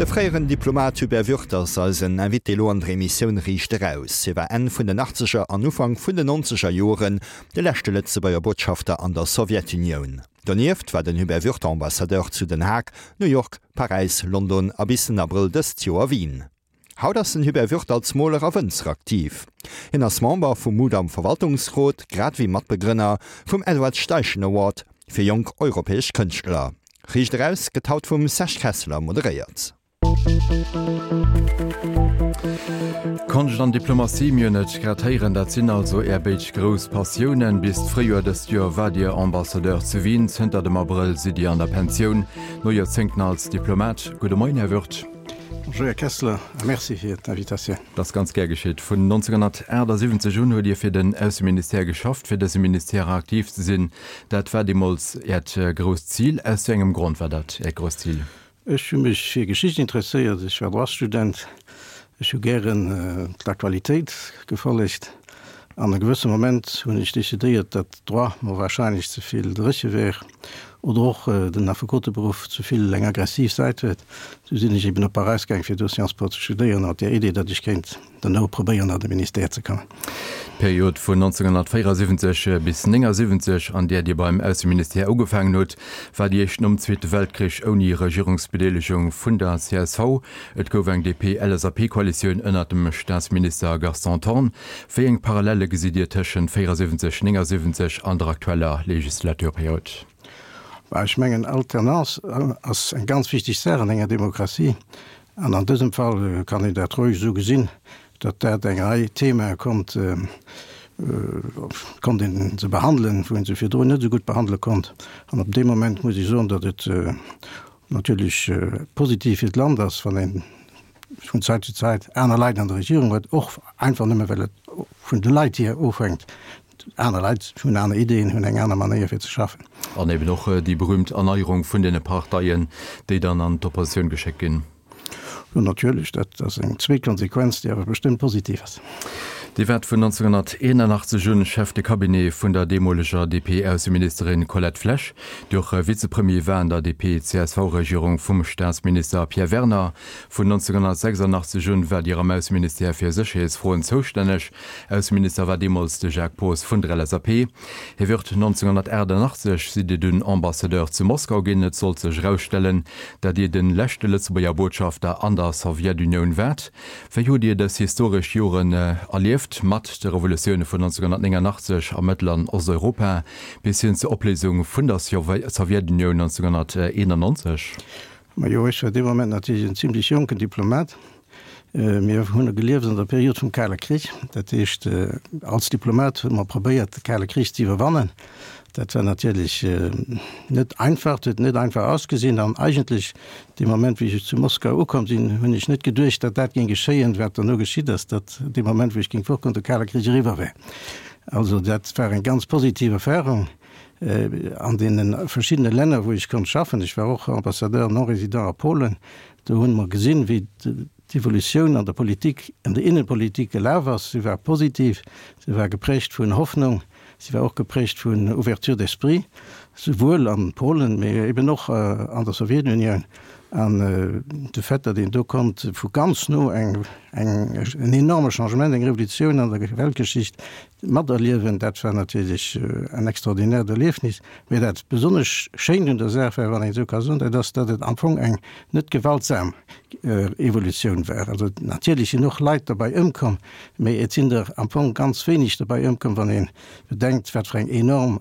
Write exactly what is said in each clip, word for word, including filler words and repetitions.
De fréieren Diplomat Hubert Würth ass eisen Invité elo an der Emissioun Riicht Eraus. Hie war Enn vun den Achtzeger an Ufank vun den Nonzeger Joren de leschte Lëtzebuerger Botschafter an der Sowjetunioun. Donieft war den Hubert Würth Ambassadeur zu Den Haag, New York, Paräis, London a bis den Abrëll dëst Joer Wien. Haut ass den Hubert Würth als Moler a Wënzer aktiv. Hien ass Member vum Mudam Verwaltungsrot, grad wéi Matbegrënner vum Edward Steichen Award fir jonk europäesch Kënschtler. Riicht Eraus gëtt haut vum Serge Kesseler moderéiert. Konscht an Diplomatie, mir hunn et grad héieren, dat sinn also Är béid grouss Passiounen. Bis d'Fréijoer dëst Joer waart Dir Ambassadeur zu Wien, zënter dem Abrëll sidd Dir an der Pensioun, no Joerzéngten als Diplomat. Gudde Moien, Här Würth. Bonjour, Här Kessler, a Merci fir d'Invitatioun. Dat ass ganz gär geschitt. Vun nonzénghunnertaachtsiwwenzeg un hutt Dir fir den Ausseministère geschafft. Fir dëse Ministère aktiv ze sinn, dat war deemools Äert grousst Zil. Aus wéi engem Grond war dat Äert grousst Zil? Ech hu mech fir Geschicht interesséiert, ech war Droitsstudent, ech hu gären d'Aktualitéit gefollegt an e gewësse Moment hunn ech decidéiert, datt Droit mer warscheinlech ze vill dréche wär oder och den Affekoteberuff ze vill eng aggressiv Säit huet. Sou sinn ech eben op Paräis gaang fir do Sciences Po ze studéieren, mat där Idee, datt ech kéint duerno probéieren an de Ministère ze kommen. D'Period vun nonzénghunnertvéierasiwwenzeg bis néngasiwwenzeg, an där Dir beim Ausseministère ugefaangen hutt, war déi éischt nom Zweete Weltkrich ouni Regierungsbedeelegung vun der C S V. Et gouf eng D P L S A P-Koalitioun ënner dem Staatsminister Gaston Thorn. Wéi eng Parallelle gesitt Dir tëschent véierasiwwenzeg, néngasiwwenzeg an der aktueller Legislaturperiod? Ech mengen, Alternance ass eng ganz wichteg Saach an enger Demokratie. An an dësem Fall kann een dat roueg esou gesinn, datt dat eng Rei Themae konnt, konnt een se behandelen, wou een se virdrun net esou gutt behandele konnt. An op dee Moment muss ech soen, datt et natierlech positiv fir d'Land ass, wann een vun Zäit zu Zäit aner Leit an der Regierung huet, och einfach nëmme well et vun de Leit hier ofhänkt. Aner Leit hunn aner Ideen, hunn eng aner Manéier fir ze schaffen. An eben och déi berühmt Erneierung vun deene Parteien, déi dann an d'Oppositioun geschéckt ginn. Jo, natierlech, dat ass eng zweet Konsequenz, déi awer bestëmmt positiv ass. Dir waart vun nonzénghunnerteenanachtzeg un Chef de Cabinet vun der deemoleger D P-Ausseministerin Colette Flesch, déi och Vizepremier war an der D P C S V-Regierung vum Staatsminister Pierre Werner. Vun nonzénghunnertsechsandachtzeg un waart Dir am Ausseministère fir Sécherheetsfroen zoustänneg. Ausseminister war deemools de Jacques Poos vun der L S A P. Här Würth, nonzénghunnertaachtandachtzeg sidd Dir dunn Ambassadeur zu Moskau ginn. Et sollt sech erausstellen, datt Dir de leschte Lëtzebuerger Botschafter an der Sowjetunioun waart. Wéi hutt Dir dës historesch Joren erlieft, mat de Revolutioune vun nonzénghunnertnéngandachtzeg a Mëttel an Osteuropa bis hin zur Opléisung vun der Sowjetunioun nonzénghunnerteenannonzeg? Majo, ech war dee Moment natierlech en zimlech jonken Diplomat. Mir hunn gelieft an der Period vum Kale Krich. Dat heescht, als Diplomat hu mer probéiert, de Kale Krich ze iwwerwannen. Dat war natierlech net einfach, huet net einfach ausgesinn. An eigentlech dee Moment, wéi ech zu Moskau ukomm sinn, hunn ech net geduecht, datt dat géing geschéien, wat duerno geschitt ass, datt dee Moment, wou ech géing fortgoen, de Kale Krich eriwwer wär. Also dat war eng ganz positiv Erfahrung an deene verschiddene Länner, wou ech konnt schaffen. Ech war och Ambassadeur non résident a Polen. Do hunn mer gesinn, wéi d'Evolutioun an der Politik, an der Innenpolitik gelaf ass. Si war positiv, si war geprägt vun Hoffnung, si war och geprägt vun Ouverture d'esprit, souwuel an Polen, mee eben och an der Sowjetunioun. An de Fait, datt een do konnt vu ganz no eng, eng, en enorme Changement, eng Revolutioun an der Weltgeschicht materliewen, dat war natierlech en extraordinäert Erliefnis. Mee dat besonnesch Schéint un der Saach war, wann een esou ka soen, dat ass, datt et am Fong eng net gewaltsam Evolutioun war. Also natierlech sinn och Leit derbäi ëmkomm, mee et sinn der am Fong ganz wéineg derbäi ëmkomm, wann ee bedenkt, wat fir eng enorm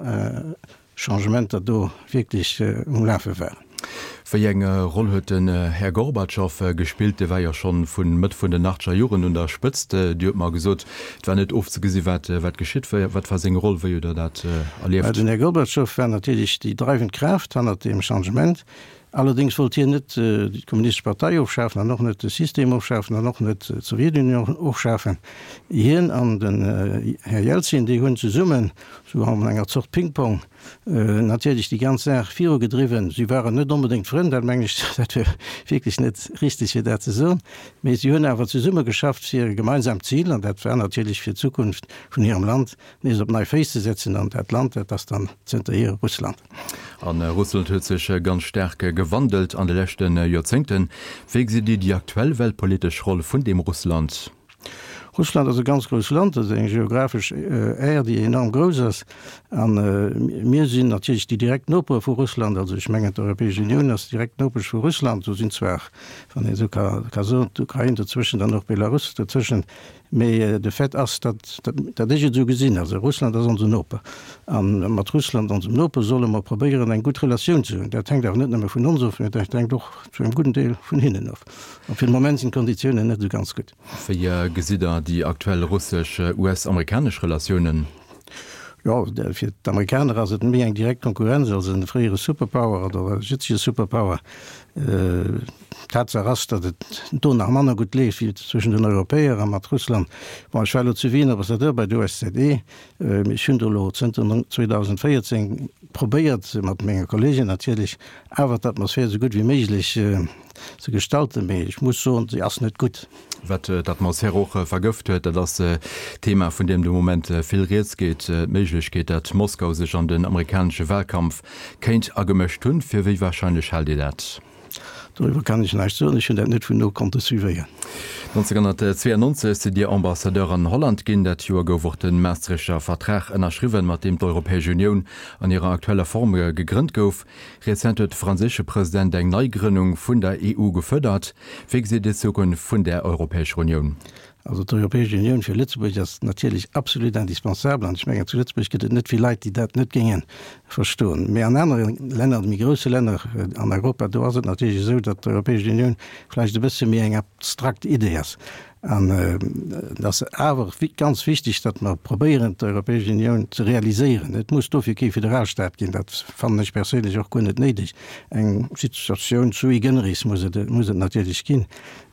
Changementer do wierklech um Lafe waren. Wéi eng Roll huet den Här Gorbatschow gespillt? Dee war jo schonn vu Mëtt vun den achtzeger Joren un der Spëtzt. Dir hutt mer gesot, et war net ofzegesi wat wat geschitt. Wat war seng Roll? Wéi hutt Der dat erlieft? Den Här Gorbatschow war natierlech déi dreiwend Kraaft hannert deem Changement. Allerdéngs wollt hien net déi Kommunistesch Partei ofschafen an och net de System ofschafen an och net d'Sowjetunion ofschafen. Hien an den Här Jelzin, déi hunn zesummen, sou an enger Zort Ping-Pong, natierlech déi ganz Saach virugedriwwen. Si waren net onbedéngt Frënn, dat mengen ech, dat wier wierklech net richteg fir dat ze soen, mee si hunn awer zesumme geschafft fir e gemeinsamt Zil, an dat war natierlech fir d'Zukunft vun hirem Land nees op nei Féiss ze setzen. An dat Land, dat ass dann zënterhier Russland. An Russland huet sech ganz staark gewandelt an de leschte Joerzéngten. Wéi gesitt Dir déi aktuell weltpolitesch Roll vun deem Russland? Russland ass e ganz grousst Land, dat ass eng geographesch Aire, déi enorm grouss ass. A mir sinn natierlech déi direkt Nopere vu Russland. Also ech mengen, d'Europäesch Unioun ass direkt Nopesch vu Russland. Do sinn zwar, wann een esou ka soen, d'Ukrain dozwëschen, dann och Belarus dozwëschen. Mee de Fait ass, datt, datt ech et esou gesinn, also Russland ass onsen Noper. A mat Russland, onsem Noper, solle mer probéieren, eng gutt Relatioun ze hunn. Dat hänkt awer net nëmme vun ons of, mee dat hänkt och zu engem gudden Deel vun hinnen of. A fir de Moment sinn d'Konditiounen net esou ganz gutt. Wéi gesitt Der déi aktuell russesch-US-amerikanesch Relatiounen? Jo, fir d'Amerikaner ass et méi eng direkt Konkurrenz als e fréiere Superpower oder e jëtzege Superpower. Tatsaach ass, datt et do nach manner gutt leeft wéi zwëschen den Europäer a mat Russland. Bon, ech war elo zu Wien Ambassadeur bei der O S Z E. Ech hunn do elo zënter zweedausendvéierzéng probéiert, mat menge Kollegen natierlech, awer d'Atmosphär esou gutt wéi méiglech ze gestalten, mee ech muss soen, se ass net gutt. Wat d'Atmosphär och vergëft huet, dat ass d'Thema, vun deem de Moment vill rieds geet, d'Méiglechkeet, datt Moskau sech an den amerikanesche Wahlkampf kéint agemëscht hunn. Fir wéi warscheinlech haalt Dir dat? Doriwwer kann ech näischt soen, ech hunn dat net vun no konnte suivéieren. nonzénghunnertzweeanonzeg sidd Dir Ambassadeur an Holland ginn. Dat Joer gouf och de Maastrichter Vertrag ënnerschriwwen, mat deem d'Europäesch Unioun an hirer aktueller Form gegrënnt gouf. Rezent huet de franséische President eng Neigrënnung vun der E U gefuerdert. Wéi gesitt Dir d'Zukunft vun där Europäescher Unioun? Also d'Europäesch Unioun fir Lëtzebuerg ass natierlech absolut indispensabel an ech mengen, zu Lëtzebuerg gëtt et net vill Leit, déi dat net géinge verstoen. Mä an anere Länner, méi grousse Länner an Europa, do ass et natierlech esou, datt d'Europäesch Unioun vläicht e bësse méi eng abstrakt Idee ass. An et ass awer ganz wichteg, datt mer probéieren, d'Europäesch Unioun ze realiséieren. Et muss dofir kee Föderalstaat ginn, dat fannen ech perséinlech och guer net néideg. Eng Situatioun sui generis muss et, muss et natierlech ginn.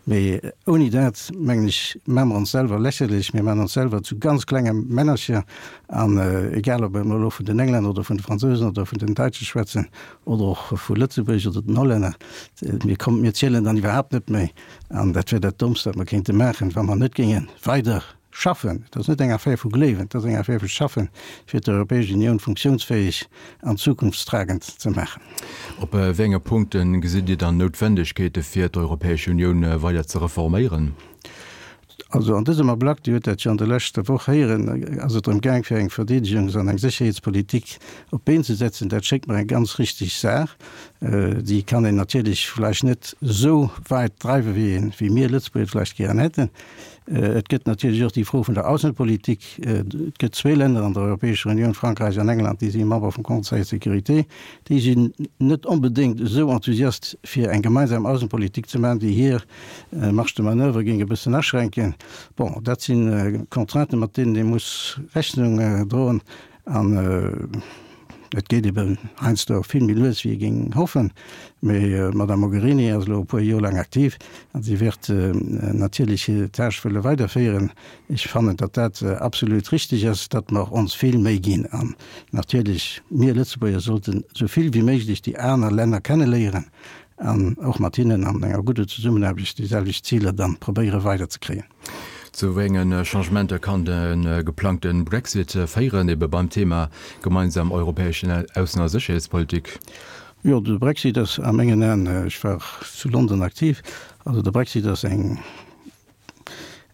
Mee ouni dat, mengen ech, maache mer ons selwer lächerlech, mir maachen ons selwer zu ganz klenge Männercher. An egal, ob mer elo vun den Englänner oder vun de Fransousen oder vun den Däitsche schwätzen oder och vu Lëtzebuerg oder den Hollänner, mir kommen, mir zielen dann iwwerhaapt net méi. An dat wär dat Dommst, wat mer kéinte maachen, wa mer net géinge weider schaffen. Et ass net eng Affär vu gleewen, et ass eng Affär vu schaffen, fir d'Europäesch Unioun funktionsfähig an zukunftstragend ze maachen. Op wéi enge Punkte gesitt Dir dann Noutwendegkeete fir d'Europäesch Unioun weider ze reforméieren? Also an dësem Ablack, Dir hutt dat jo an der leschter Woch héieren, ass et drëm gaang fir eng Verdeedegungs an eng Sécherheetspolitik op d'Been ze setzen. Dat schéngt mer eng ganz richtig Saach. Déi kann een natierlech vläicht net esou weit dreiwe wéi een, wéi mir Lëtzebuerger et vläicht gären hätten. Et gëtt natierlech och déi Fro vun der Aussenpolitik. Et gëtt zwee Länner an der Europäescher Unioun, Frankräich an England, déi si Member vum Conseil de sécurité. Déi sinn net onbedéngt esou enthusiast fir eng gemeinsam Aussenpolitik ze maachen, déi hir Marge de manoeuvre géing e bëssen aschränken. Bon, dat si Contrainten, mat deenen ee muss Rechnung droen. An et geet eben heiansdo och vill méi lues, wéi ee géing hoffen. Mee d'Madame Mogherini ass elo e puer Joer laang aktiv a si wäert natierlech hir Tâche wëlle weiderféieren. Ech fannen, datt dat absolut richtig ass, datt mer ons vill Méi ginn. An natierlech, mir Lëtzebuerger sollten esou vill wéi méiglech déi aner Länner kenneléieren an och mat hinnen an enger gudder Zesummenaarbecht déi selwecht Ziler dann probéiere weiderzekréien. Zu wéi enge Changementer kann de geplangte Brexit féieren, ebe beim Thema gemeinsam europäesch Aussen a Sécherheetspolitik? Jo, de Brexit ass a mengen Aen, ech war zu London aktiv, also de Brexit ass eng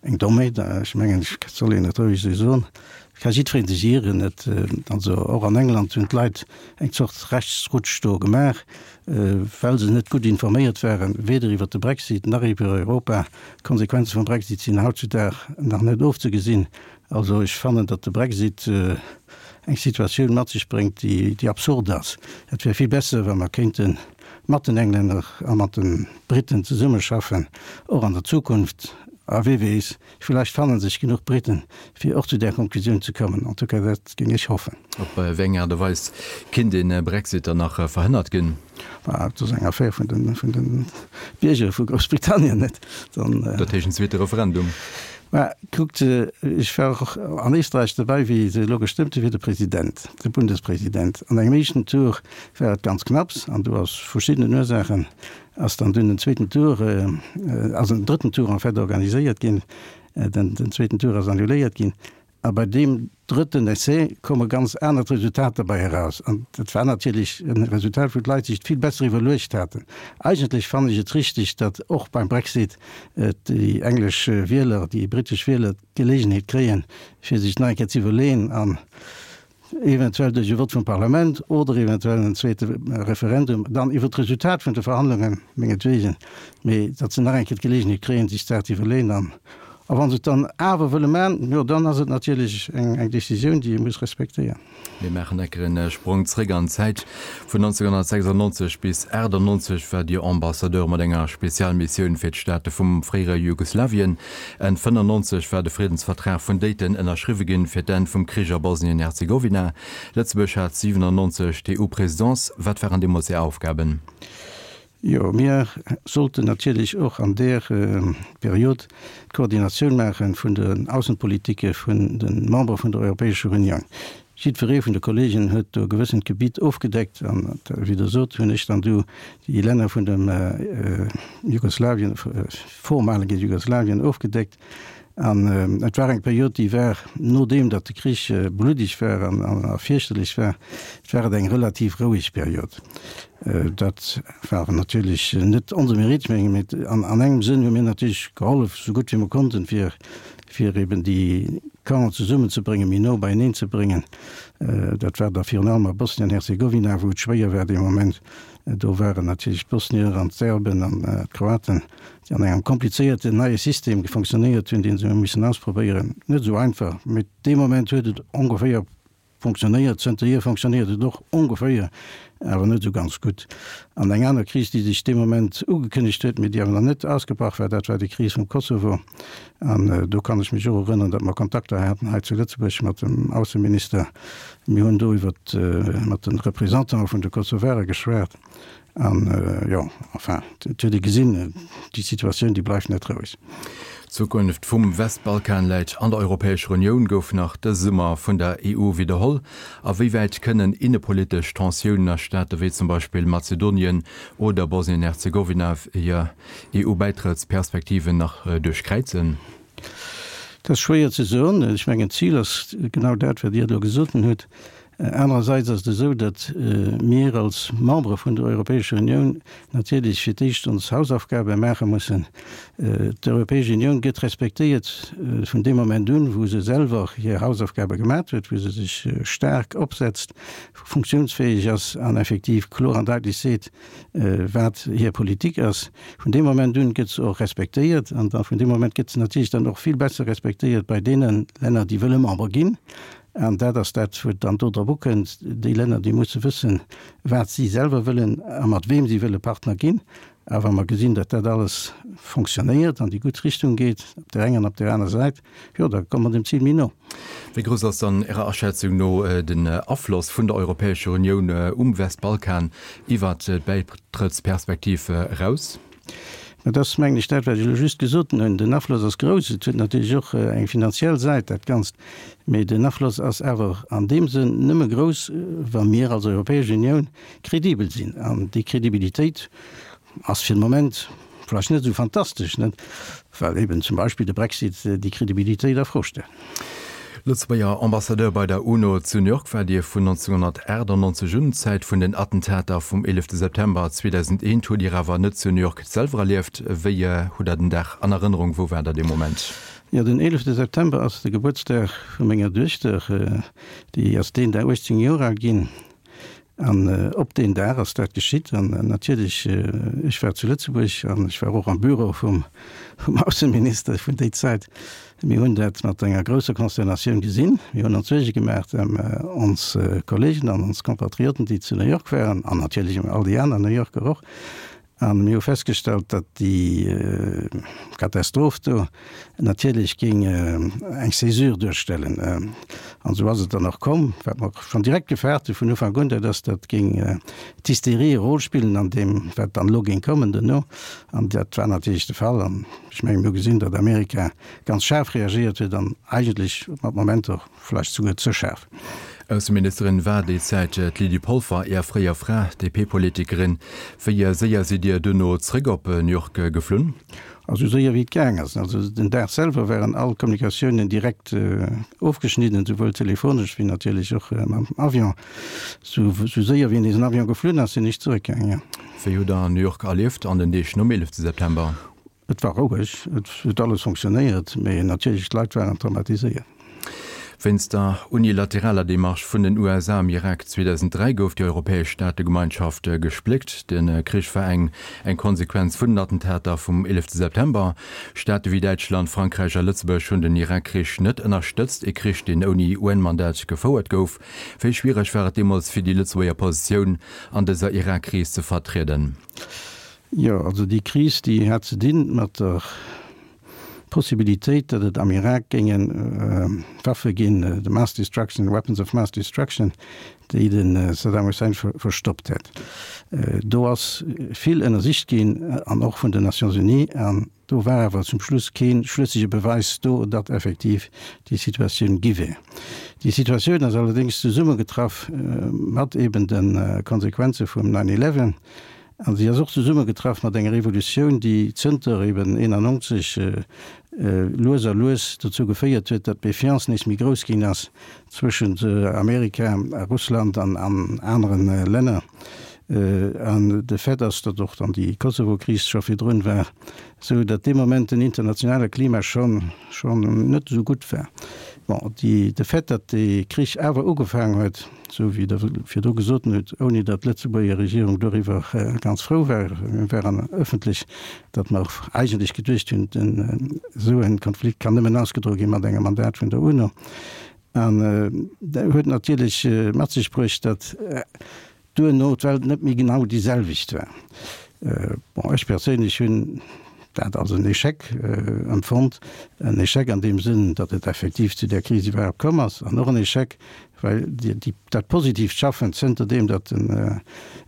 eng Dommheet, ech mengen, ech soll een et roueg esou soen, et ka jiddweree sech ieren. Et, also och an England hunn d'Leit eng Zort Rechtsrutsch do gemaach, well se net gutt informéiert waren, weder iwwert de Brexit nach iwwer Europa. D'Konsequenze vum Brexit sinn hautzudag nach net ofzegesinn. Also ech fannen, datt de Brexit eng Situatioun mat sech bréngt, déi, déi absurd ass. Et wär vill besser, wa mer kéinte mat den Englänner a mat de Briten zesummeschaffen, och an der Zukunft. A wee weess, villäicht fanne sech genuch Briten, fir och zu där Konklusioun ze kommen. En tout cas, dat géing ech hoffen. Op wéi eng Aart a Weis kinnt de Brexit dann nach verhënnert ginn? Bah, dat ass eng Affär vun de, vun de Bierger vu Groussbritannien, net? Dann. Dat heescht en zweete Referendum? Mä kuckt, ech war och an Éisträich dobäi, wéi se elo gestëmmt hu fir de President, de Bundespresident. An engem éischten Tour war et ganz knapps an do aus verschiddenen Ursaachen ass dann dunn en zweeten Tour, ass en drëtten Tour en fait organiséiert ginn, den, den zweeten Tour ass annuléiert ginn. A bei deem drëtten Essai komme ganz anert Resultater bei eraus. An dat war natierlech e Resultat, wou d'Leit sech et vill besser iwwerluecht haten. Eigentlech fannen ech et richteg, datt och beim Brexit déi englesch Wieler, déi britesch Wieler d'Geleegenheet kréien, fir sech nach eng Kéier ze iwwerleeën an eventuell duerch e Vott vum Parlament oder eventuell en zweete Referendum dann iwwer d'Resultat vun de Verhandlungen, mengetwegen, mee datt se nach eng Kéier d'Geleegenheet kréien, sech d'Saach ze iwwerleeën. An a wa se et dann awer wëlle maachen, jo, dann ass et natierlech eng eng Décisioun, déi ee muss respektéieren. Mir maachen enker en Sprong zréck an d'Zäit. Vun nonzénghunnertsechsannonzeg bis aachtannonzeg war Dir Ambassadeur mat enger Spezialmissioun fir d'Staate vum fréiere Jugoslawien. Enn fënnannonzeg war de Friddensvertrag vun Dayton ënnerschriwwe ginn fir d'Enn vum Krich a Bosnien-Herzegowina. Lëtzebuerg hat siwenannonzeg d'EU-Presidence. Wat waren deemools Är Aufgaben? Jo, mir sollten natierlech och an där Period d'Koordinatioun maache vun den Aussenpolitike vun de Membere vun der Europäescher Unioun. Jiddweree vun de Kollegen huet do e gewëssent Gebitt ofgedeckt an, wéi Der sot, hunn ech dann du déi Länner vun dem Jugoslawien, vormalige Jugoslawien ofgedeckt. An et war eng Period, déi war, nodeem datt de Krich bluddeg war an a fierchterlech war, et war et eng relativ roueg Period. Dat war natierlech net onse Mérite, menge mee an engem Sënn hu mir natierlech gehollef, esou gutt wéi mer konnten, fir fir eben déi Campen zesummenzebréngen, méi no beieneen ze bréngen. Dat war da virun allem a Bosnien-Herzegowina, wou et schwéier war dee Moment. Do waren natierlech d'Bosnier an d'Serben an d'Kroaten, déi an engem komplizéierten neie System fonctionnéiert hunn, dee se hu missen ausprobéieren. Net esou einfach, mee dee Moment huet et ongeféier Fonctionnéiert. Zënterhier fonctionnéiert et och ongeféier, awer net esou ganz gutt. An eng aner Kris, déi sech dee Moment ugekënnegt huet, mee déi awer nach net ausgebrach war, dat war déi Kris vum Kosovo. An do kann ech mech och erënneren, datt mer Kontakter haten hei zu Lëtzebuerg mat dem Ausseminister. Mir hunn do iwwer mat de Représentante vun de Kosovare geschwat. An, jo, enfin, et huet ee gesinn, déi Situatioun, déi bleift net roueg. D'Zukunft vum Westbalkan läit an der Europäescher Unioun, gouf nach dëse Summer vun der E U widderholl. A wéi wäit kënnen innepolitesch Tensiounen a Staate wéi zum Beispill Mazedonien oder Bosnien-Herzegowina hir E U-Bäitrëttsperspektiven nach duerchkräizen? Dat ass schwéier ze soen. Ech mengen, d'Zil ass genau dat, wat Dir elo gesot hutt. Anerersäits ass et esou, datt mir als Membere vun der Europäescher Unioun natierlech fir d'éischt ons Hausaufgabe maache mussen. D'Europäesch Unioun gëtt respektéiert vun deem Moment un, wou se selwer hir Hausaufgabe gemaat huet, wou se sech staark opsetzt, funktionsfäeg ass an effektiv kloer an daitlech seet, wat hir Politik ass. Vun deem Moment un gëtt se och respektéiert an da vun deem Moment gëtt se natierlech dann och vill besser respektéiert bei deene Länner, déi wëlle Member ginn. An dat ass dat, wou et dann do drop ukënnt, déi Länner, déi musse wëssen, wat si selwer wëllen a mat weem si wëlle Partner ginn. A wa mer gesinn, datt dat alles fonctionnéiert, an déi gutt Richtung geet, op där enger an op där aner Säit, jo, da komme mer dem Zil méi no. Wéi grouss ass dann Ärer Aschätzung no den Afloss vun der Europäescher Unioun um Westbalkan iwwert d'Bäitrëttsperspektiv eraus? Dat ass, mengen ech, dat, wat ech elo just gesot hunn. Den Afloss ass grouss. Et huet natierlech och eng finanziell Säit, dat Ganzt. Mee den Afloss ass awer an deem Sënn nëmme grouss, wa mir als Europäesch Unioun kredibel sinn. An déi Kredibilitéit ass fir de Moment vläicht net esou fantastesch, net, well eben zum Beispill de Brexit déi Kredibilitéit a Fro stellt. Lëtzebuerger Ambassadeur bei der UNO zu New York war Dir vun nonzénghunnertachtannonzeg un. D'Zäit vun den Attentater vum eelefte September zweedausendeent hutt Dir awer net zu New York selwer erlieft. Wéi hutt Der den Dag an Erënnerung? Wou war Der dee Moment? Jo, den eelefte September ass de Gebuertsdag vu menger Duechter. Déi ass deen Dag uechtzéng Joer al ginn. An op deen Dag ass dat geschitt. An natierlech, ech war zu Lëtzebuerg an ech war och am Büro vum Ausseminister vun déi Zäit. Mir hunn dat mat enger grousser Consternatioun gesinn. Mir hunn ons Suerge gemaach ëm ons Kollegen an ons Compatrioten, déi zu New York waren, an natierlech ëm all déi aner New Yorker och. A mir hu festgestallt, datt déi Katastroph do natierlech géing eng Césure duerstellen. An esou ass et dann och komm. Wat mer schonn direkt gefaart hu vun Ufank un, dat ass, datt géing d'Hysterie e Rôle spillen an deem, wat dann elo géing kommen duerno. An dat war natierlech de Fall. An ech mengen, mir hu gesinn, datt Amerika ganz schaarf reagéiert huet an eigentlech mat Momenter vläicht souguer ze schaarf. Ausseministerin war déi Zäit d'Lydie Polfer, Är fréier Fra, D P-Politikerin. Wéi séier sidd Dir duerno zréck op New York geflunn? Also séier wéi et gaang ass. Also den Dag selwer waren all Kommunikatiounen direkt ofgeschnidden, souwuel telefonesch wéi natierlech och mam Avion. Sou séier wéi en Avion geflunn ass, sinn ech zeréckgaangen, jo. Wéi hutt Der New York erlieft an den Deeg nom eelefte September? Et war roueg, et huet alles fonctionnéiert, mee natierlech d'Leit waren traumatiséiert. Wéinst der unilateraler Demarche vun den U S A am Irak zweedausenddräi gouf déi europäesch Staategemeinschaft gespléckt. De Krich war eng eng Konsequenz vun den Attentater vum eelefte September. Staate wéi Däitschland, Frankräich a Lëtzebuerg hunn den Irak-Krich net ënnerstëtzt, e Krich, deen ouni U N-Mandat gefouert gouf. Wéi schwiereg war et deemools fir déi Lëtzebuerger Positioun an dëser Irak-Kris ze vertrieden? Jo, also déi Kris, déi hat ze dinn mat der Possibilitéit, datt et am Irak géinge Waffe ginn, de Mass Destruction, Weapons of Mass Destruction, déi de Saddam Hussein verstoppt hätt. Do ass vill ënnersicht ginn, an och vun den Nations Unies, an do war awer zum Schluss kee schlëssege Beweis do, datt effektiv déi Situatioun gi wär. Déi Situatioun ass allerdéngs zesummegetraff mat eben de Konsequenze vum nine eleven, An si ass och zesummegetraff mat enger Evolutioun, déi zënter eben eenannonzeg lues a lues dozou geféiert huet, datt d'Méfiance nees méi grouss ginn ass zwëschent Amerika a Russland an anere Länner. An de Fait ass, datt och dann déi Kosovo-Kris scho virdrun war, sou datt dee Moment den internationale Klima schonn schonn net esou gutt war. Bon, déi, de Fait, datt dee Krich awer ugefaangen huet, esou wéi Der virdru gesot hutt, ouni datt d'Lëtzebuerger Regierung doriwwer ganz frou war, mir waren ëffentlech, datt mer eigentlech geduecht hunn, den, esou e Konflikt kann nëmmen ausgedroe gi mat engem Mandat vun der UNO. An dat huet natierlech mat sech bruecht, datt duerno d'Welt net méi genau déi selwecht war. Bon, ech perséinlech hunn dat als en Échec empfonnt, en Échec an deem Sënn, datt et effektiv zu där Kris iwwerhaapt komm ass, an och en Échec, well dat positiivt Schaffen zënter deem, datt den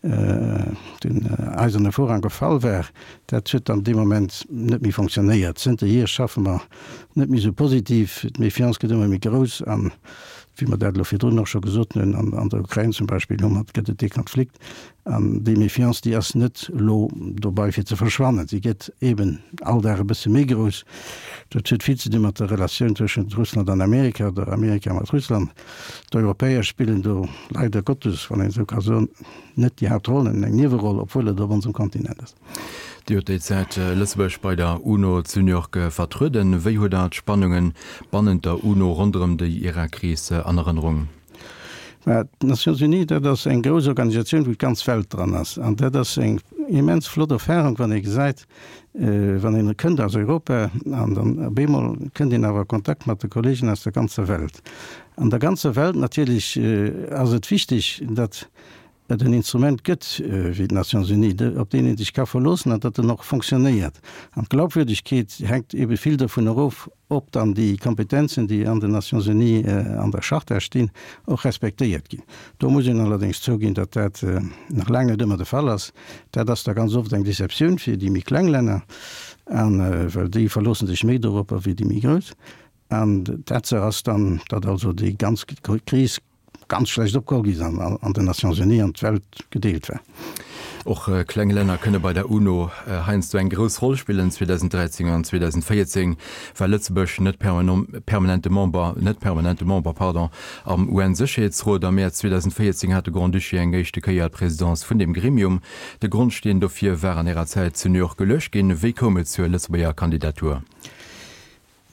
den Eiserne Vorhang gefall war, dat huet dann dee Moment net méi fonctionnéiert. Zënterhier schaffe mer net méi esou positiv, d'Méfiance gëtt ëmmer méi grouss an, wéi mer dat elo virdrun och scho gesot hunn, an der Ukrain zum Beispill hu mer, gëtt et dee Konflikt an déi Méfiance, déi ass net elo dobei fir ze verschwannen, si gëtt eeben all Dag e bësse méi grouss. Dat huet vill ze di mat der Relatioun tëschent Russland an Amerika oder Amerika mat Russland. D'Europäer spillen do leider Gottes, wann een esou ka soen, net déi Haaptroll, eng Nieweroll, obwuel et op onsem Kontinent ass. Dir hutt déi Zäit Lëtzebuerg bei der UNO zu New York vertrueden. Wéi hutt Der d'Spannunge bannent der UNO ronderëm déi Irak-Kris an Erënnerung? Mä d'Nations Unies, dat ass eng grouss Organisatioun, wou d'ganz Welt dran ass. An dat ass eng immens flott Erfahrung, wann ee gesäit, wann een kënnt aus Europa an dann op eemol kënnt een awer a Kontakt mat de Kollegen aus der ganzer Welt. An der ganzer Welt natierlech ass et wichteg, datt et en Instrument gëtt wéi d'Nations Unies, op deen ee sech ka verloossen an datt en och fonctionnéiert. An d'Glaubwürdigkeet hänkt ebe vill dovun erof, ob dann déi Kompetenzen, déi an den Nations Unies an der Charta stinn, och respektéiert ginn. Do muss een allerdéngs zouginn, datt dat nach laang net ëmmer de Fall ass. Dat ass da ganz oft eng Deceptioun fir déi méi kleng Länner, an well déi verloosse sech méi doropper wéi déi méi grouss. An d'Tatsaach ass dann, datt also déi ganz Kris ganz schlecht opgeholl gi sinn an den Nations Unies an d'Welt gedeelt war. Och kleng Länner kënne bei der UNO heiansdo eng grouss Roll spillen. zweedausendräizéng an zweedausendvéierzéng war Lëtzebuerg net permanente Member, net permanente Member, pardon, am U N-Sécherheetsrot. Am Mäerz zweedausendvéierzéng hat de Grand-Duché eng éischte Kéier d'Presidence vun deem Gremium. De Grondsteen dofir war an Ärer Zäit zu New York geluecht ginn. Wéi koum et zur Lëtzebuerger Kandidatur?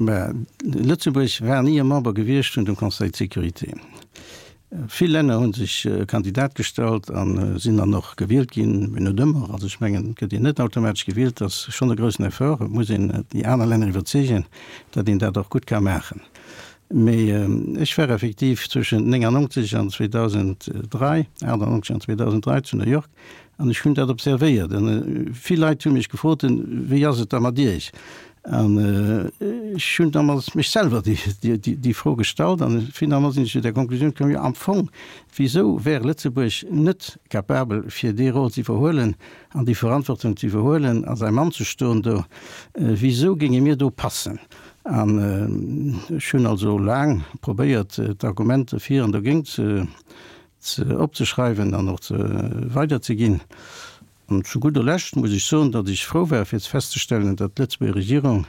Mä Lëtzebuerg war ni e Member gewiescht vun dem Conseil de sécurité. Vill Länner hu sech Kandidat gestallt a sinn dann och gewielt ginn, mee net ëmmer. Also ech mengen, et gëtt een net automatesch gewielt, dat ass schonn e groussen Effort. Et muss een déi aner Länner iwwerzeegen, datt een dat och gutt ka maachen. Mee ech war effektiv zwëschent néngannonzeg an zweedausenddräi, achtannonzeg an zweedausenddräi zu New York an ech hunn dat observéiert. An vill Leit hu mech gefrot, Wéi ass et da mat Iech? An ech hunn damals mech selwer déi Fro gestallt an finalement sinn ech zu der Konklusioun komm, jo am Fong, wisou wär Lëtzebuerg net capabel fir dee Rôle ze iwwerhuelen an déi Verantwortung ze iwwerhuelen a säi Mann ze stoen do? Wisou géinge mir do passen? An ech hunn also laang probéiert, d'Argumenter fir an dogéint ze ze opzeschreiwen an och ze weiderzeginn. An zu gudder Lescht muss ech soen, datt ech frou war fir festzestellen, datt d'Lëtzebuerger Regierung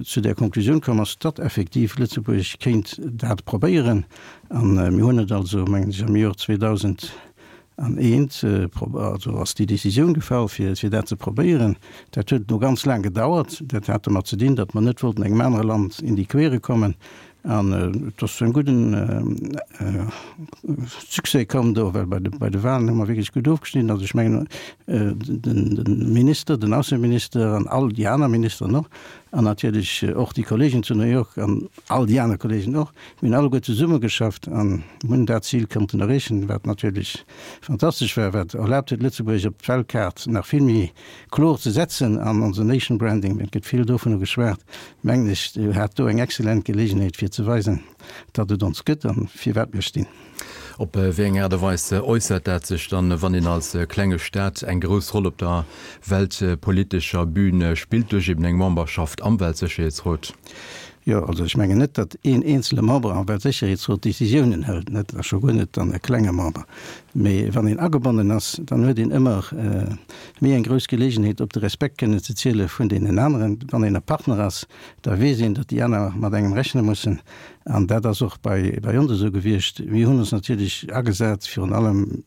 zu där Konklusioun komm ass, datt effektiv Lëtzebuerg kéint dat probéieren. An mir hunn et also, mengen ech, am Joer zweedausend an eent, also ass déi Décisioun gefall, fir fir dat ze probéieren. Dat huet elo ganz laang gedauert. Dat hat domat ze dinn, datt mer net wollten engem anere Land in die Quere kommen. An et ass zu engem gudden Succès komm do, well bei de bei de Wahlen hu mer wierklech gutt ofgeschnidden. Also ech mengen, den den Minister, den Ausseminister an all déi aner Ministeren och, an natierlech och déi Kollegen zu New York an all déi aner Kollegen och, mir hunn alleguer zesummegeschafft an hunn dat Zil konnten erreechen, wat natierlech fantastesch war, wat erlaabt huet, Lëtzebuerg op d'Weltkaart nach vill méi kloer ze setzen an onse Nation Branding, et gëtt vill dovunner geschwat, mengen ech, hat do eng exzellent Geleegenheet fir ze weisen, datt et ons gëtt an firwat mir stinn. Op wéi eng Aart a Weis äussert dat sech dann, wann een als klenge Staat eng grouss Roll op der weltpolitescher Bühn spillt, duerch eben eng Memberschaft am Weltsécherheetsrot? Jo, also ech mengen net, datt een eenzele Member am Weltsécherheetsrot Décisiounen hëlt, net, a scho guer net dann e klenge Member. Mee wann een agebonnen ass, dann huet een ëmmer méi eng grouss Geleegenheet, op de Respekt kënnen ze ziele vun deenen aneren. Wann een e Partner ass, da weess een, datt déi aner mat engem rechne mussen. An dat ass och bei bei ons esou gewiescht. Mir hunn ons natierlech agesat, virun allem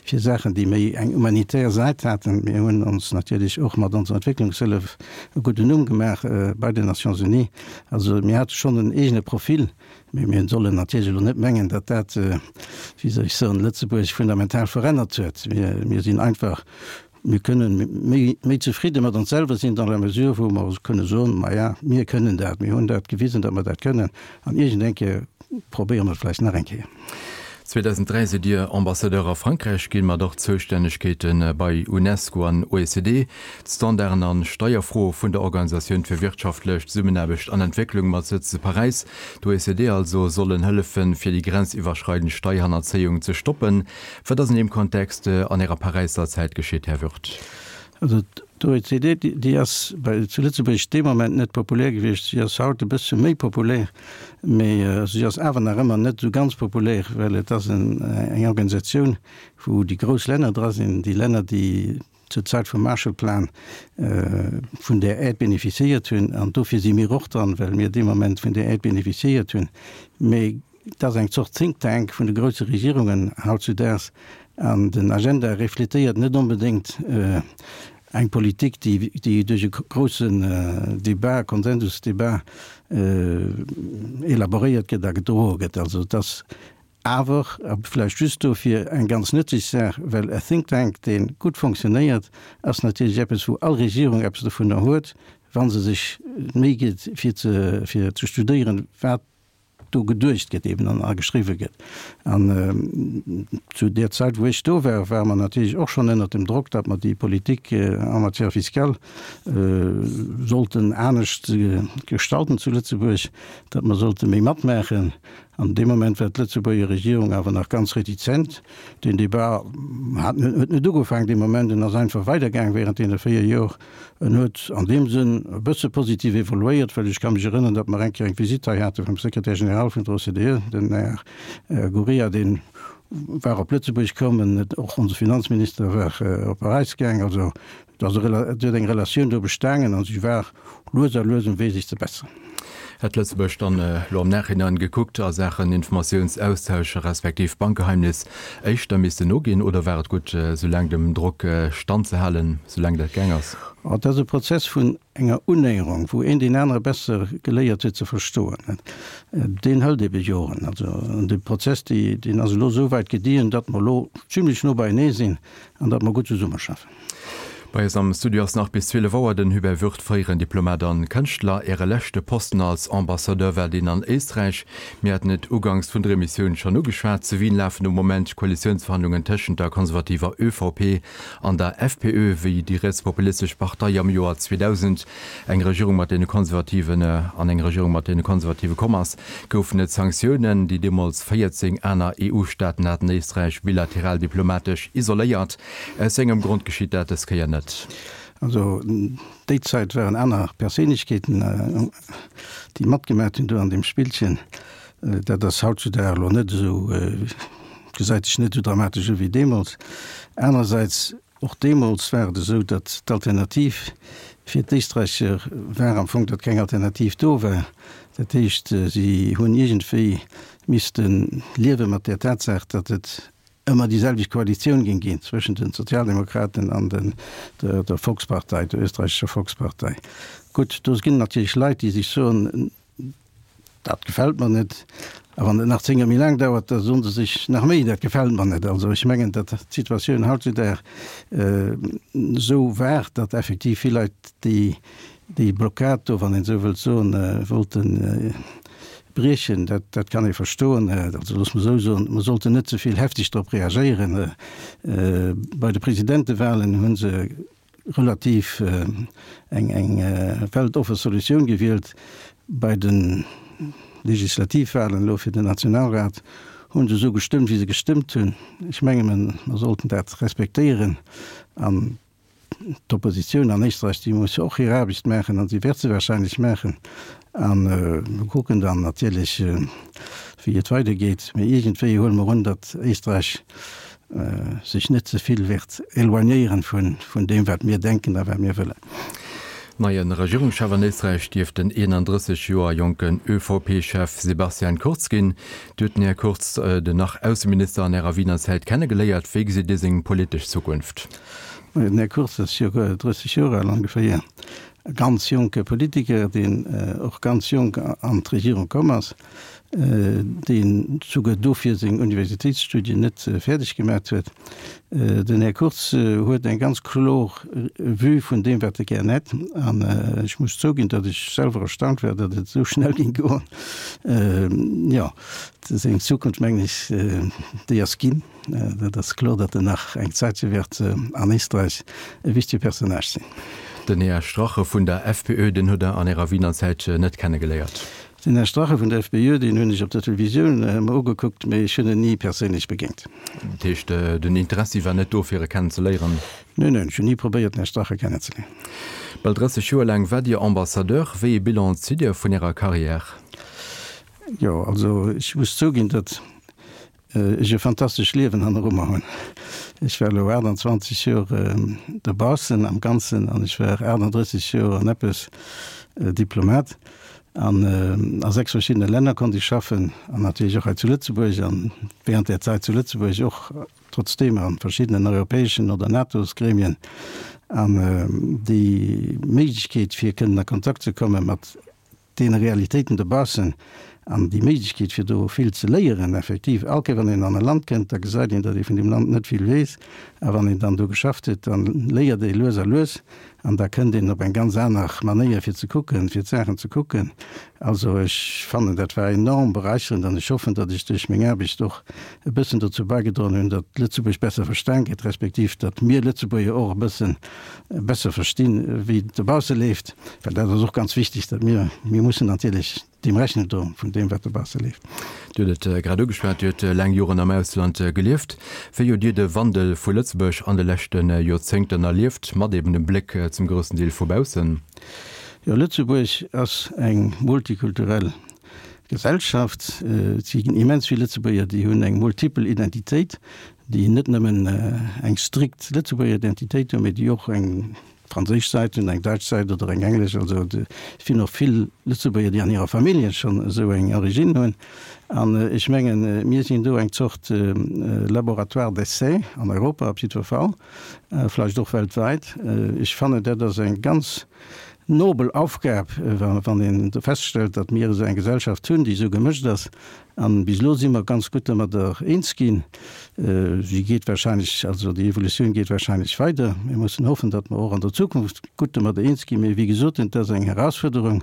fir Saachen, déi méi eng humanitär Säit haten. Mir hunn ons natierlech och mat onser Entwécklungshëllef e gudden Numm gemaach bei den Nations Unies. Also mir hate schonn en eegene Profil, mee mir sollen natierlech elo net mengen, datt dat, wéi soll ech soen, Lëtzebuerg fundamental verännert huet. Mir, mir sinn einfach, mir kënnen méi, méi zefridde mat ons selwer sinn dans la mesure, wou mer kënne soen, Maja, mir kënnen dat, mir hunn dat gewisen, datt mer dat kënnen, an iergend eng Kéier probéiere mer et vläicht nach eng Kéier. zweedausend dräi sidd Dir Ambassadeur a Frankräich ginn, mat och Zoustännegkeete bei UNESCO an O E C D, d'Standarden an Steierfroe vun der Organisatioun fir wirtschaftlech Zesummenaarbecht an Entwécklung mat Sëtz zu Paräis, d'O E C D also, sollen hëllefen, fir déi grenziwwerschreidend Steierhannerzéiung ze stoppen. Wat ass an deem Kontext an Ärer Paräisser Zäit geschitt, Här Würth? Also d'O E C D, déi ass bei zu Lëtzebuerg dee Moment net populär gewiescht. Si ass haut e bësse méi populär, mee si ass awer nach ëmmer net esou ganz populär, well et ass en eng Organisatioun, wou déi grouss Länner dra sinn, déi Länner, déi zur Zäit vum Marshallplan vun där Aide bénéficiéiert hunn. An dofir si mir och dran, well mir dee Moment vun där Aide bénéficiéiert hunn. Mee et ass eng Zort Think Tank vun de grousse Regierungen hautzudaags, an den Agenda refletéiert net onbedéngt eng Politik, déi déi duerch e groussen Débat, Konsensusdebat elaboréiert gëtt a gedroe gëtt. Also et ass awer, a vläicht just dofir, eng ganz nëtzlech Saach, well e Think Tank, dee gutt fonctionnéiert, ass natierlech eppes, wou all Regierung eppes dovunner huet, wa se sech d'Méi gëtt, fir ze fir ze studéieren, wat do geduecht gëtt eben an a geschriwwe gëtt. An zu där Zäit, wou ech do war, ware mer natierlech och schonn ënnert dem Drock, datt mer déi Politik en matière fiscale sollten anescht gestalten zu Lëtzebuerg, datt mer sollte méi matmaachen. An dee Moment war d'Lëtzebuerger Regierung awer nach ganz retizent. Deen Débat hat huet net ugefaangen dee Moment, en ass einfach weidergaang während deene véier Jor. En huet an deem Sënn e bësse positiv evoluéiert, well ech ka mech erënnern, datt mer eng Kéier eng Visitt hei hate vum Secrétaire général vun der O C D E, den Här Gurria, dee war op Lëtzebuerg komm, en och onse Finanzminister war op Paräis gaang. Also et ass e et huet eng Relatioun do bestaangen a si war lues a lues um Wee sech ze besseren. Hätt Lëtzebuerg dann elo am Nachhinein gekuckt a Saachen Informatiounsaustausch respektiv Bankgeheimnis éischter missten noginn oder war et gutt esou laang dem Drock standzehalen, esou laang dat gaang ass? Et ass e Prozess vun enger Unnäherung, wou een deen anere besser geléiert huet ze verstoen. Deen hëlt ebe Joren. Also dee Prozess, deen ass elo esou wäit gediehen, datt mer elo zimlech no beienee sinn an datt mer gutt zesummeschaffen. Bei eis am Studio ass nach bis zwielef Auer den Hubert Würth, fréieren Diplomat an Kënschtler. Äre leschte Posten als Ambassadeur war deen an Éisträich. Mir haten et uganks vun der Emissioun schonn ugeschwat, Zu Wien lafen um Moment d'Koalitiounsverhandlungen tëschent der konservativer Ö V P an der F P Ö. Wéi déi rietspopulistesch Partei am Joer zweedausend eng Regierung mat deene Konservativen an eng Regierung mat deene Konservative komm ass, goufen et Sanktiounen. Déi deemools véierzéng aner E U-Staaten haten Éisträich bilateral diplomatesch isoléiert. Aus wéi engem Grond geschitt dat dës Kéier net? Also déi Zäit waren aner Perséinlechkeeten, déi matgemaat hunn do an deem Spillchen. Dat ass hautzudag elo net esou, gesäit sech net esou dramatesch u wéi deemools. Anerersäits, och deemools war et esou, datt d'Alternativ fir d'Éisträicher war am Fong, datt keng Alternativ do war. Dat heescht, si hunn iergendwéi misste liewe mat där Tatsaach, datt et ëmmer déi selwecht Koalitioun géing ginn zwëschen den Sozialdemokraten an den, der, der Volkspartei, der österreichischer Volkspartei. Gutt, do ginn natierlech Leit, déi sech soen, Dat gefält mer net. A wann et nach zéng Joer méi laang dauert, da soen se sech nach méi, Dat gefält mer net. Also ech mengen, datt d'Situatioun hautzudag esou war, datt effektiv vill Leit déi, déi Blockad do, wann een esou wëllt soen, wollte briechen. Dat, dat kann ee verstoen. Also looss mer esou soen, mer sollten net ze vill hefteg drop reagéieren. Bei de Presidentewahlen hu se relativ eng eng weltoffe Solutioun gewielt. Bei de Legislativwahlen elo fir den Nationalrat hu se esou gestëmmt, wéi se gestëmmt hunn. Ech menge mer sollten dat respektéieren. An d'Oppositioun an Éisträich, déi muss jo och hir Aarbecht maachen an si wäert se wahrscheinlech maachen. A mer kucken dann natierlech, wéi et weidergeet. Mee iergendwéi huele mer un, datt Éisträich sech net ze vill wäert éloignéieren vun deem, wat mir denken a wat mir wëllen. Neie Regierungschef an Éisträich dierft den eenandrësseg Joer jonken ÖVP-Chef Sebastian Kurz ginn. Dir hutt den Här Kurz, den nach Ausseminister an Ärer Wiener Zäit, kennegeléiert. Wéi gesitt Dir seng politesch Zukunft? Den Här Kurz ass jo drësseg Joer al ongeféier, e ganz jonke Politiker, deen och ganz jonk an d'Regierung komm ass, deen souguer dofir seng Universitéitsstudien net fäerdeg gemaat huet. Den Här Kurz huet eng ganz klor Vue vun deem, wat e gär hätt. An ech muss zouginn, datt ech selwer erstaunt war, datt et esou schnell géing goen. Jo, seng Zukunft, mengen ech, déi ass ginn. Dat ass kloer, datt en nach eng Zäitche wäert an Éisträich e wichtege Personnage sinn. Den Här Strache vun der F P Ö, deen hutt Der an Ärer Wiener Zäit net kennegeléiert? Den Här Strache vun der F P Ö, deen hunn ech op der Televisioun mer ugekuckt, mee ech hunn en ni perséinlech begéint. Dat heescht, den Interessi war net do, fir e kennenzeléieren? Neen, neen, ech hunn ni probéiert, den Här Strache kennenzeléieren. Bal drësseg Joer laang waart Dir Ambassadeur. Wéi ee Bilan zitt Dir vun Ärer Carrière? Jo, also ech muss zouginn, datt ech e fantastescht Liewen hanneru mer hunn. Ech war elo aachtanzwanzeg Joer dobaussen am Ganzen an ech war aachtanddrësseg Joer an eppes Diplomat. An a sechs verschiddene Länner konnt ech schaffen an natierlech och hei zu Lëtzebuerg an während där Zäit zu Lëtzebuerg och trotzdeem a verschiddenen europäeschen oder NATO-s-Gremien. An déi Méiglechkeet fir kënnen a Kontakt ze komme mat deene Realitéiten dobaussen an déi Méiglechkeet fir do vill ze léieren, effektiv, all Kéier wann een an e Land kënnt, da gesäit een, datt ee vun deem Land net vill weess, a wann een dann do geschafft huet, da léiert ee lues a lues an da kënnt een op eng ganz aner Manéier fir ze kucken, fir d'Saachen ze kucken. Also ech fannen, dat war enorm beräicherend an ech hoffen, datt ech duerch meng Aarbecht och e bëssen dozou bäigedroen hunn, datt Lëtzebuerg besser verstan gëtt, respektiv datt mir Lëtzebuerger och e bëssen besser verstinn, wéi et dobausse leeft, well dat ass och ganz wichteg, datt mir, mir mussen natierlech deem Rechnung droen, vun deem, wat dobausse leeft. Dir hutt et grad ugeschwat, Dir hutt laang Joren am Ausland gelieft. Wéi hutt Dir de Wandel vu Lëtzebuerg an de leschte Joerzéngten erlieft, mat eben dem Bléck zum groussen Deel vu baussen? Jo, Lëtzebuerg ass eng multikulturell Gesellschaft. Et si immens vill Lëtzebuerger, déi hunn eng multipel Identitéit, déi net nëmmen eng strikt Lëtzebuerger Identitéit hunn, mee déi och eng franséisch Säit hunn, eng däitsch Säit oder eng englesch. Also et sinn och vill Lëtzebuerger, déi an hirer Famillje schonn esou eng Origine hunn. An ech mengen, mir sinn do eng Zort Laboratoire d'essai an Europa op jiddwer Fall, vläicht och weltwäit. Ech fannen, dat ass eng ganz nobel Aufgab, wann een feststellt, datt mir esou eng Gesellschaft hunn, déi esou gemëscht ass. An bis elo si mer ganz gutt domadder eens ginn. Si geet wahrscheinlech, also déi Evolutioun geet wahrscheinlech weider. Mir mussen hoffen, datt mer och an der Zukunft gutt domadder eens ginn. Mee wéi gesot, et ass eng Herausfuerderung,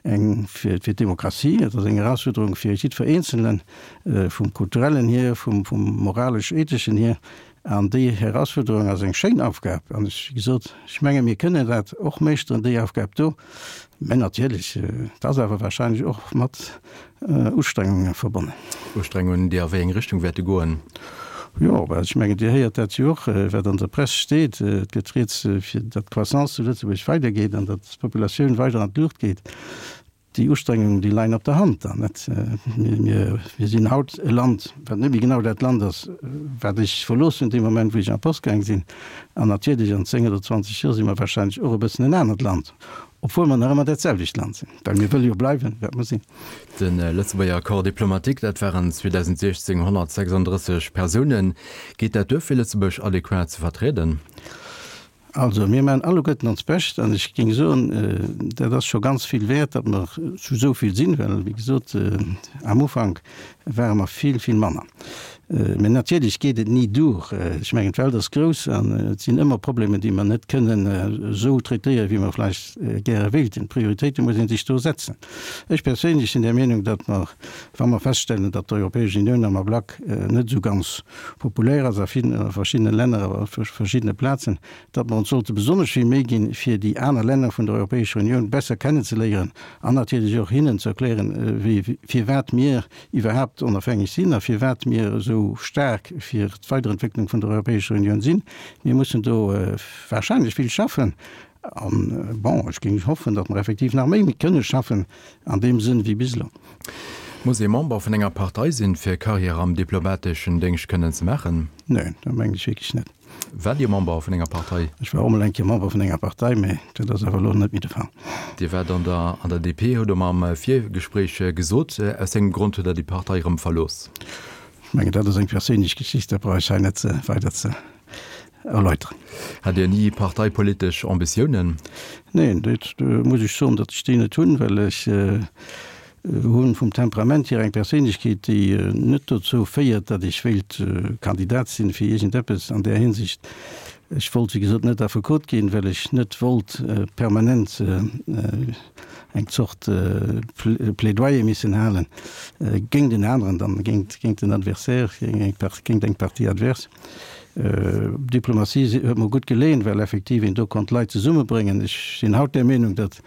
eng fir d'Demokratie, et ass eng Herausfuerderung fir jiddwer Eenzelen, vum kulturellen hier, vum moralesch-etheschen hier. An déi Herausfuerderung ass eng schéin Aufgab. An ech, wéi gesot, ech menge mir kënnen dat och meeschteren, déi Aufgab do. Mä natierlech, et ass awer wahrscheinlech och mat Ustrengunge verbonnen. Ustrengungen, déi a wéi eng Richtung wäerte goen? Jo, well ech mengen, Dir héiert dat jo och, wat an der Press steet. Et gëtt rieds, fir datt d'Croissance zu Lëtzebuerg weidergeet an datt d'Populatioun weider an d'Luucht geet. Déi Ustrengungen, déi leien op der Hand dann, net? Mir, mir sinn haut e Land, wat net méi genau dat Land ass, wat ech verlooss hunn dee Moment, wou ech an d'Post gaang sinn. An natierlech, an zéng oder zwanzeg Joer si mer wahrscheinlech och e bëssen en anert Land. Obwuel mer nach ëmmer dat selwecht Land sinn, well mir wëlle jo bleiwen, wat mer sinn. De Lëtzebuerger Corps diplomatique, dat waren zweedausendsechzéng honnertsechsanddrësseg Persounen. Geet dat duer, fir Lëtzebuerg adequat ze vertrieden? Also, mir maachen alleguerten ons Bescht an ech géing soen, dat ass scho ganz vill wäert, datt mer zu esou vill sinn, well, wéi gesot, am Ufank ware mer vill, vill manner. Mä natierlech geet et ni duer. Ech mengen, d'Welt ass grouss an et sinn ëmmer Problemer, déi mer net kënnen esou traitéieren, wéi mer vläicht gäre wéilten. D'Prioritéite muss ee sech do setzen. Ech perséinlech sinn der Meenung, datt mer, wa mer feststellen, datt d'Europäesch Unioun am Ablack net esou ganz populär ass a verschiddene Länner a verschiddene Plazen, datt mer ons sollte besonnesch vill Méi ginn, fir déi aner Länner vun der Europäescher Unioun besser kennenzeléieren an natierlech och hinnen ze erklären, firwat mir iwwerhaapt onofhängeg sinn a firwat mir esou staark fir d'Weiderentwécklung vun der Europäescher Unioun sinn. Mir mussen do wahrscheinlech vill schaffen. An, bon, ech géing hoffen, datt mer effektiv nach méi kënne schaffen an deem Sënn wéi bis elo. Muss ee Member vun enger Partei sinn, fir Karriär am diplomateschen Déngscht kënnen ze maachen? Neen, dat mengen ech wierklech net. Waart Dir Member vun enger Partei? Ech war och mol eng Kéier Member vun enger Partei, mä dat ass awer elo net méi de Fall. Dir waart an der an der D P, hutt Der mer am Virgespréich gesot. Aus engem Grond hutt Der déi Partei erëm verlooss. Ech mengen, dat ass eng perséinlech Geschicht, dat brauch ech hei net weider ze erläuteren. Hat Dir ni parteipolitesch Ambitiounen? Neen, dat muss ech soen, datt ech déi net hunn, well ech hunn vum Temperament hier eng Perséinlechkeet, déi net dozou féiert, datt ech wéilt Kandidat sinn fir iergendeppes an där Hinsicht. Ech wollt, wéi gesot, net Affekot ginn, well ech net wollt permanent eng Zort Plädoyer missen halen géint en aneren, dann géint géint den Adversaire, géint eng Partie adverse. Diplomatie huet mer gutt geleeën, well effektiv een do konnt Leit zesummebréngen. Ech sinn haut där Meenung, datt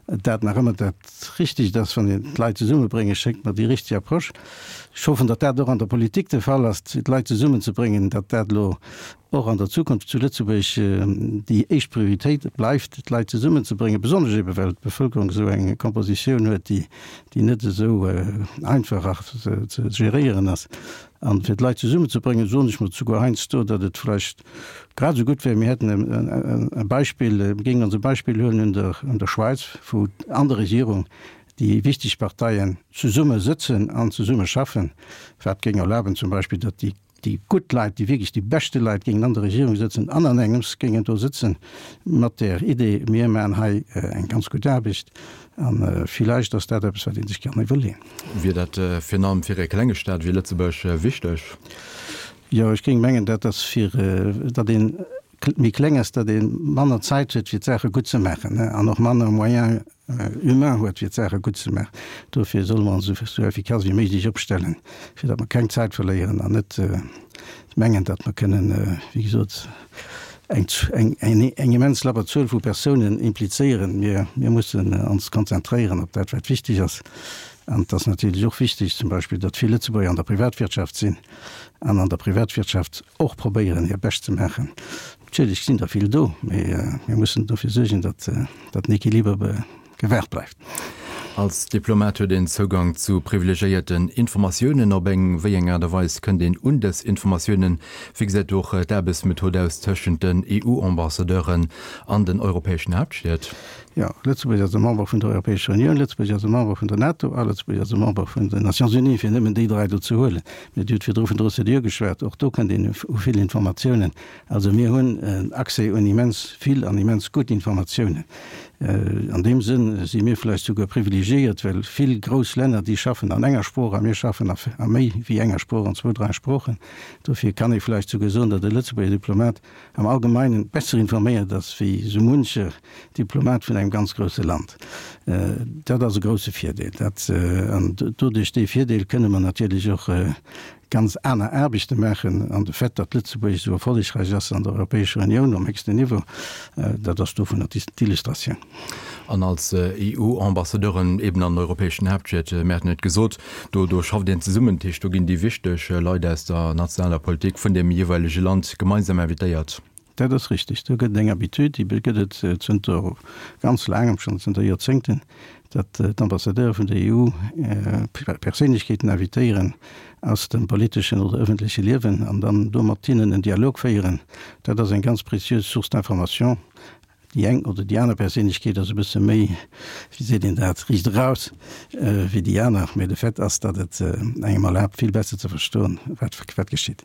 dat nach ëmmer dat Richtegt ass, wann een d'Leit zesummebrénge schéngt mer déi richteg Approche. Ech hoffen, datt dat och an der Politik de Fall ass, d'Leit zesummenzebréngen, datt dat elo och an der Zukunft zu Lëtzebuerg déi éischt Prioritéit bleift, d'Leit zesummenzebréngen, besonnesch ebe well d'Bevëlkerung esou eng Kompositioun huet, déi déi net esou einfach ze geréieren ass. An fir d'Leit zesummenzebréngen, soen ech mer souguer heiansdo, datt et vläicht grad esou gutt wär, mir hätten e Beispill, mir géingen ons e Beispill huelen un der un der Schwäiz, wou an der Regierung déi wichteg Parteien zesumme sëtzen an zesumme schaffen, wat géing erlaben zum Beispill, datt déi déi gutt Leit, déi wierklech déi beschte Leit géingen an der Regierung sëtzen an an engems géingen do sëtzen mat där Idee, mir maachen hei eng ganz gutt Aarbecht. A villäicht ass dat eppes, wat ee sech kann iwwerleeën. Wier dat virun allem fir e klenge Staat wéi Lëtzebuerg wichteg? Jo, ech géing mengen, dat ass fir, datt ee méi kleng ass, datt ee manner Zäit huet, fir d'Saache gutt ze maachen an och manner Moyens humains huet, fir d'Saache gutt ze maachen. Dofir solle mer ons esou effikass wéi méiglech opstellen, fir datt mer keng Zäit verléieren an net mengen, datt mer kënnen, wéi gesot, eng, eng, eng immens labber Zuel vu Persounen implizéieren. Mir, mir mussen ons konzentréieren op dat, wat wichteg ass. An et ass natierlech och wichteg zum Beispill, datt vill Lëtzebuerger an der Privatwirtschaft sinn an an der Privatwirtschaft och probéieren, hir Bescht ze maachen. Natierlech sinn der vill do, mee mir mussen dofir suergen, datt, datt den Equiliber gewahrt bleift. Als Diplomat huet een Zougang zu privilegiéierten Informatiounen. Op eng wéi eng Aart a Weis kënnt een un dës Informatiounen? Wéi gesäit och d'Aarbechtsmethod aus tëschent den E U-Ambassadeuren an den europäeschen Haaptstied? Jo, Lëtzebuerg ass e Member vun der Europäescher Unioun, Lëtzebuerg ass e Member vun der NATO a Lëtzebuerg ass e Member vun den Nations Unies, fir nëmmen déi dräi do ze huelen. Mee Dir hutt virdru vun der O C D E geschwat, och do kënnt een u vill Informatiounen. Also mir hunn en Accès un immens vill an immens gutt Informatiounen. An deem Sënn si mir vläicht souguer privilegiéiert, well vill grouss Länner, déi schaffen an enger Sprooch a mir schaffen a méi wéi enger Sprooch, an zwou, dräi Sproochen. Dofir kann ee vläicht souguer soen, datt e Lëtzebuerger Diplomat am Allgemeinen besser informéiert ass wéi esou muncher Diplomat vun engem ganz grousse Land. Dat ass e grousse Virdeel. Dat, an doduerch dee Virdeel kënne mer natierlech och ganz aner Aarbechte maachen. An de Fait, datt Lëtzebuerg esou erfollegräich ass an der Europäescher Unioun um héchsten Niveau, dat ass dovunner d'Illustratioun. An als EU-Ambassadeuren eben an europäeschen Haaptstied, mir haten et gesot, do do schafft een zesummen, dat heescht do ginn déi wichteg Leit aus der nationaler Politik vun deem jeeweilege Land gemeinsam invitéiert. Dat ass richtig. Do gëtt et eng Habitude, déi gëtt et zënter ganz laangem schonn, zënter Joerzéngten, datt d'Ambassadeure vun der EU Perséinlechkeeten invitéieren aus dem politeschen oder ëffentleche Liewen an dann do mat hinnen en Dialog féieren. Dat ass eng ganz précieuse Source d'information. Déi eng oder déi aner Perséinlechkeet ass e bësse méi, wéi seet een dat, riicht eraus wéi déi aner, mee de Fait ass, datt et engem erlaabt, vill besser ze verstoen, wat wat geschitt.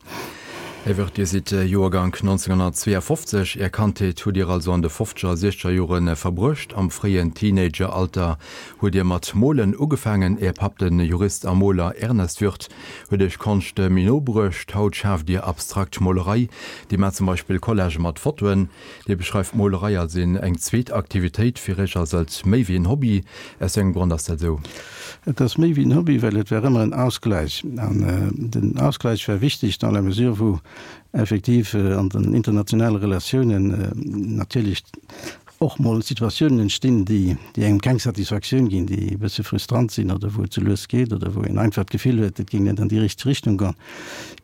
Här Wirth, Dir sidd Joergank nonzénghonnertzweeafofzeg. Är Kandheet hutt Dir also an de fofzeger a siechzeger Jore verbruecht. Am fréien Teenageralter hutt Dir mat molen ugefaangen. Är Papp, de Jurist a Moler Ernest Wirth, huet Iech Konscht méi no bruecht. Haut schaaft Dir abstrakt Molerei. Dir maacht zum Beispill Collagë mat Fotoen. Dir beschreift d'Molerei als een eng zweet Aktivitéit. Fir Iech ass et méi wéi en Hobby. Aus wéi engem Grond ass dat esou? Et ass méi wéi en Hobby, well et war ëmmer en Ausgleich. An den Ausgleich war wichteg dans la mesure wou effektiv an den internationale Relatiounen natierlech och mol Situatiounen entstinn, déi déi engem keng Satisfaktioun ginn, déi e bësse frustrant sinn oder wou et ze lues geet oder wou een einfach d'Gefill huet, et géing net an déi richteg Richtung goen.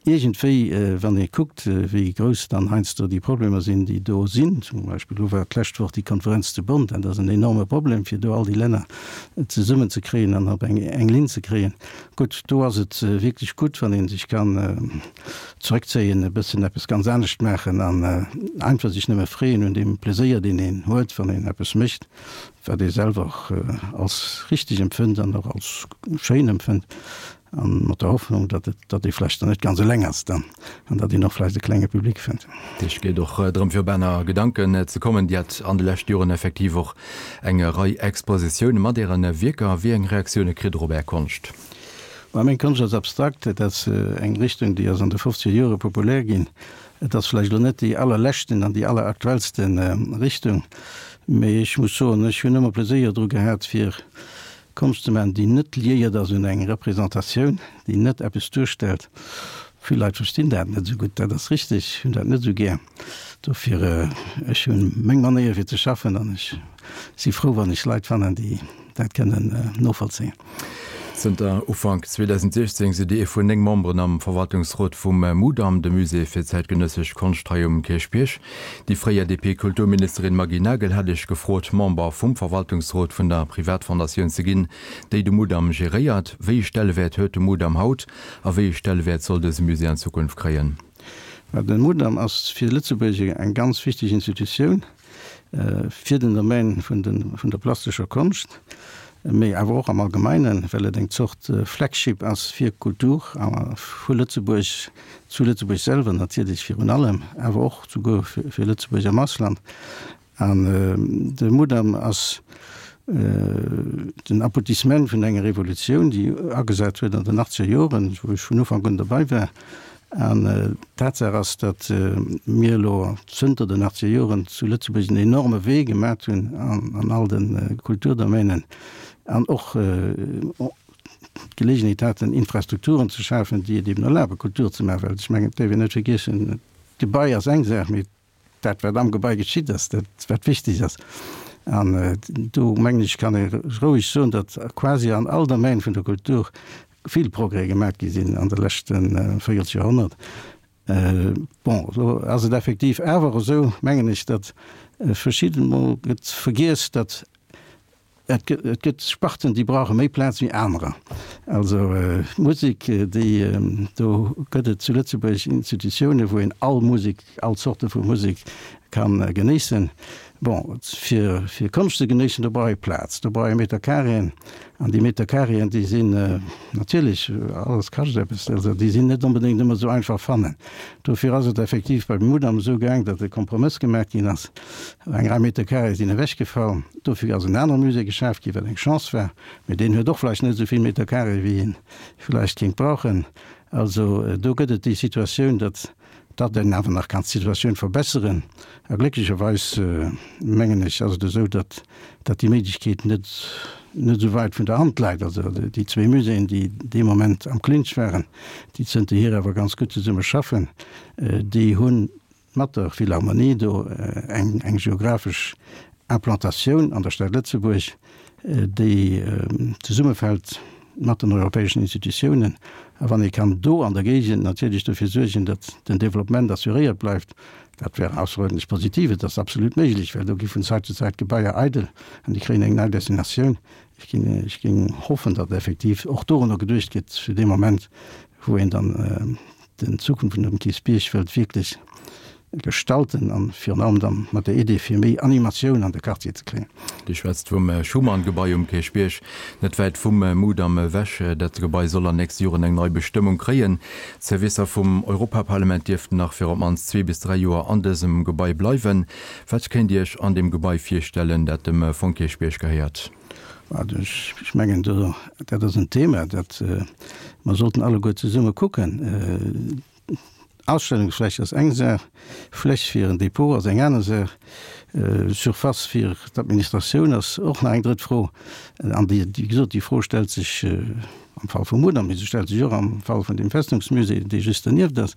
Iergendwéi, wann ee kuckt, wéi grouss dann heiansdo déi Problemer sinn, déi do sinn, zum Beispill elo war d'lescht Woch déi Konferenz zu Bonn, dat ass en enorme Problem, fir do all déi Länner zesummenzekréien an op eng eng Linn ze kréien. Gutt, do ass et wierklech gutt, wann ee sech kann zeréckzéien, e bëssen eppes ganz anescht maachen an einfach sech nëmme freeën un deem Pleséier, deen een huet, wann een eppes mécht, wat ee selwer och als richteg empfënnt an och als schéin empfënnt, a mat der Hoffnung, datt et, datt ee vläicht dann net ganz eleng ass dann an datt een och vläicht e klenge Public fënnt. Et geet och drëm, fir op aner Gedanken ze kommen. Dir hat an de leschte Joren effektiv och eng Rei Expositioune mat Äre Wierker. Wéi eng Reaktioune kritt Der op Är Konscht? Mä meng Konscht ass abstrakt. Et ass eng Richtung, déi ass an de fofzeger Jore populär ginn. Et ass vläicht elo net déi allerleschten an déi alleraktuellste Richtung, mee ech muss soen, ech hunn ëmmer Pleséier dru gehat, fir Konscht ze maachen, déi net liéiert ass un eng Representatioun, déi net eppes duerstellt. Vill Leit verstinn dat net esou gutt, dat ass richteg, hunn dat net esou gär. Dofir, ech hunn meng Manéier fir ze schaffen an ech si frou, wann ech Leit fannen, déi dat kënnen novollzéien. Zënter Ufank zweedausendsiechzéng sidd Dir ee vun néng Memberen am Verwaltungsrot vum Mudam, dem Musée fir zäitgenëssesch Konscht hei um Kierchbierg. Déi fréier D P-Kulturministerin Maggy Nagel hat Iech gefrot, Member vum Verwaltungsrot vun der Privatfondatioun ze ginn, déi de Mudam geréiert. Wéi ee Stellewäert huet de Mudam haut a wéi ee Stellewäert soll dëse Musée an Zukunft kréien? De Mudam ass fir Lëtzebuerg eng ganz wichteg Institutioun fir den Domaine vun der plastescher Konscht, mee awer och am Allgemeinen, well et eng Zort Flagship ass fir Kultur vu Lëtzebuerg, zu Lëtzebuerg selwer natierlech virun allem, awer och souguer fir Lëtzebuerg am Ausland. An de Mudam ass den Aboutissement vun enger Revolutioun, déi agesat huet an den achtzeger Joren, wou ech vun Ufank un derbei war. An d'Tatsaach ass, datt mir elo zënter den achtzeger Joren zu Lëtzebuerg en enorme Wee gemat hunn an all de Kulturdomänen an och d'Geleegenheet haten, Infrastrukturen ze schafen, déi et eben erlabe Kultur ze maachen. Well ech mengen, et däerf een net vergiessen, d'Gebai ass eng Saach, mee dat, wat am Gebai geschitt ass, dat wat wichteg ass. An do mengen ech, kann ee roueg soen, datt quasi an all Domaine vun der Kultur vill Progrès gemaat gi sinn an de leschte Véierelsjoerhonnert. Bon, elo ass et effektiv awer esou, mengen ech, datt verschidden mol gëtt vergiess, datt et gëtt Sparten, déi brauche méi Plaz wéi anerer. Also d'Musek, déi, do gëtt et zu Lëtzebuerg Institutiounen, wou een all Musek, all Zorte vu Musek ka genéissen. Bon, fir, fir Konscht ze genéissen, do brauch ee Plaz, do brauch ee Meterkareeën. An déi Meterkareeën, déi sinn natierlech, alles kascht eppes, also déi sinn net onbedéngt ëmmer esou einfach fannen. Dofir ass et effektiv beim Mudam esou gaang, datt e Kompromëss gemaach ginn ass. Eng Rei Meterkareeë sinn ewechgefall. Dofir ass en anere Musée geschaf ginn, wat eng Chance war. Mee deen huet och vläicht net esou vill Meterkareeë wéi een vläicht kéint brauchen. Also do gëtt et déi Situatioun, datt datt een awer nach kann d'Situatioun verbesseren. A glécklecherweis, mengen ech, ass et esou, datt datt déi Méiglechkeet net net esou wäit vun der Hand läit. Also déi zwee Muséeën, déi dee Moment am Clinch waren, déi zënterhier awer ganz gutt zesumme schaffen, déi hu mat der Philharmonie do eng eng geographesch Implantatioun an der Stad Lëtzebuerg, déi zesummefält mat den europäeschen Institutiounen. A wann ee kann do an der Géigend natierlech dofir suergen, datt den Développement assuréiert bleift, dat wär ausseruerdentlech positiv. Et ass absolut méiglech, well do gi vun Zäit zu Zäit Gebaier eidel an déi kréien eng nei Destinatioun. Ech ginn, ech géing hoffen, datt effektiv och dorunner geduecht gëtt fir dee Moment, wou een dann den Zukunft vun dem Kierchbierg wëllt wierklech gestalten an virun allem dann mat der Idee fir méi Animatioun an de Quartier ze kréien. Dir schwätzt vum Schuman-Gebai um Kierchbierg, net wäit vum Mudam ewech. Dat Gebai soll an nächste Joren eng nei Bestëmmung kréien. D'Servicer vum Europaparlament dierften nach fir op d'mannst zwee bis dräi Joer an dësem Gebai bleiwen. Wat kéint Dir Iech an deem Gebai virstellen, dat dem Fong Kierchbierg gehéiert? Ech mengen, dat ass en Thema, dat mer sollten alleguer zesumme kucken. Ausstellungsfläch ass eng Saach, Fläch fir en Depot ass eng aner Saach, Surface fir d'Administratioun ass och nach eng drëtt Fro. An déi, wéi gesot, déi Fro stellt sech am Fall vum Mudam, mee se stellt sech och am Fall vun dem Festungsmusée, dee just dernieft ass,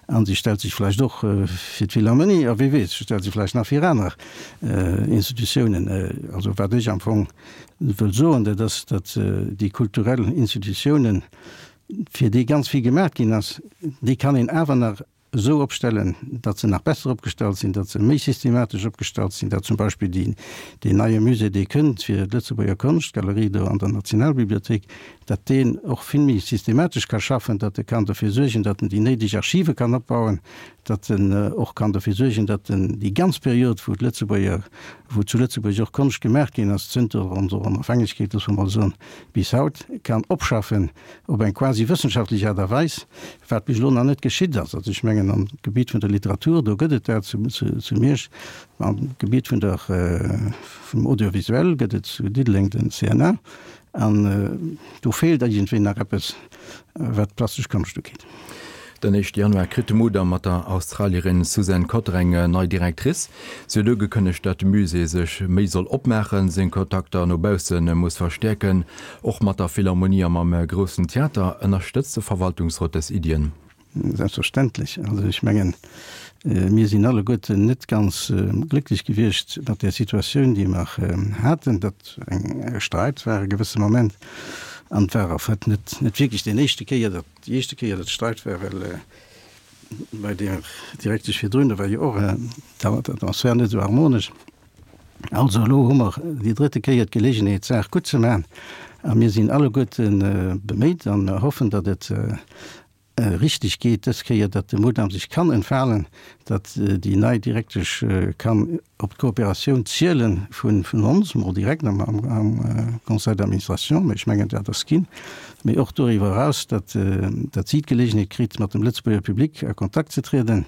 a se stellt sech vläicht och fir d'Philharmonie, a wie weess, se stellt sech vläicht nach fir aner Institutiounen. Also wat ech am Fong wëll soen, dat ass, datt déi kulturell Institutiounen, fir déi ganz vill gemaach ginn ass, déi kann een awer nach esou opstellen, datt se nach besser opgestallt sinn, datt se méi systematesch opgestallt sinn, datt zum Beispill déi, deen neie Musée, dee kënnt fir d'Lëtzebuerger Konscht, d'Galerie do an der Nationalbibliothéik, datt deen och vill méi systematesch ka schaffen, datt e kann dofir suergen, datt en déi néideg Archive kann opbauen, datt en och kann dofir suergen, datt en déi ganz Period, wou d'Lëtzebuerger, wou zu Lëtzebuerg och Konscht gemaach ginn ass, zënter onser Onofhängegkeet, loosse mer mol soen, bis haut, kann opschaffen op eng quasi wëssenschaftlech Aart a Weis, wat bis elo nach net geschitt ass. Also ech mengen, am Gebiet vun der Literatur, do gëtt et dat zu, zu, zu Miersch, am Gebiet vun der, vum Audiovisuel gëtt et zu Diddeleng den C N A. An do feelt iergendwéi nach eppes, wat d'plastesch Konscht ugeet. Den éischte Januar kritt de Mudam mat der Australierin Suzanne Cotter eng nei Directrice. Si huet ugekënnegt, datt de Musée sech méi soll opmaachen, seng Kontakter no bausse muss verstäerken, och mat der Philharmonie a mam Groussen Theater. Ënnerstëtzt de Verwaltungsrot dës Iddien? Selbstverständlech. Also ech mengen, mir sinn alleguerten net ganz glécklech gewiescht mat där Situatioun, déi mer haten, datt eng Sträit war e gewësse Moment. An et war en fait net net wierklech deen éischte Kéier, datt déi éischte Kéier, datt Sträit war, well bei där Direktesch virdrun, do war jo och d'Atmosphär net esou harmonesch. Also elo hu mer déi drëtte Kéier d'Geleegenheet, d'Saach gutt ze maachen. A mir sinn alleguerte beméit an hoffen, datt et richteg geet dës Kéier, datt de Mudam sech kann entfalen, datt déi nei Direktesch kann op d'Kooperatioun ziele vun ons, mol direkt am Conseil d'administration, mä ech mengen, dat ass ginn, mä och doriwwer eraus, datt si d'Geleegenheet kritt, mat dem Lëtzebuerger Public a Kontakt ze trieden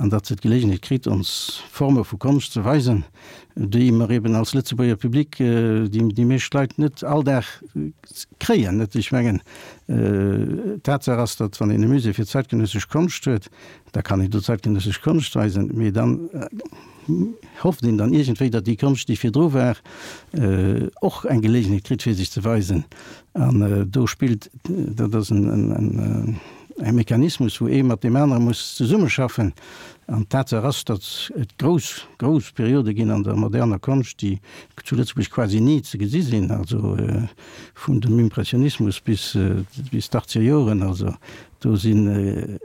an datt se d'Geleegenheet kritt, ons Forme vu Konscht ze weisen, déi mer eben als Lëtzebuerger Public, déi déi meescht Leit net all Dag kréien. Net? Ech mengen, Tatsaach ass, datt wann een e Musée fir zeitgenössesch Konscht huet, da kann een do zeitgenössesch Konscht weisen, mee dann hofft een dann iergendwéi, datt déi Konscht, déi virdru war, och eng Geleegenheet kritt, fir sech ze weisen. An do spillt, dat ass en e Mechanismus, wou ee mat deem anere muss zesummeschaffen. An d'Tatsaach ass, datt et grouss, grouss Periode ginn an der moderner Konscht, déi zu Lëtzebuerg quasi ni ze gesi sinn, also vun dem Impressionismus bis, bis d'Achtzeger Joren. Also do sinn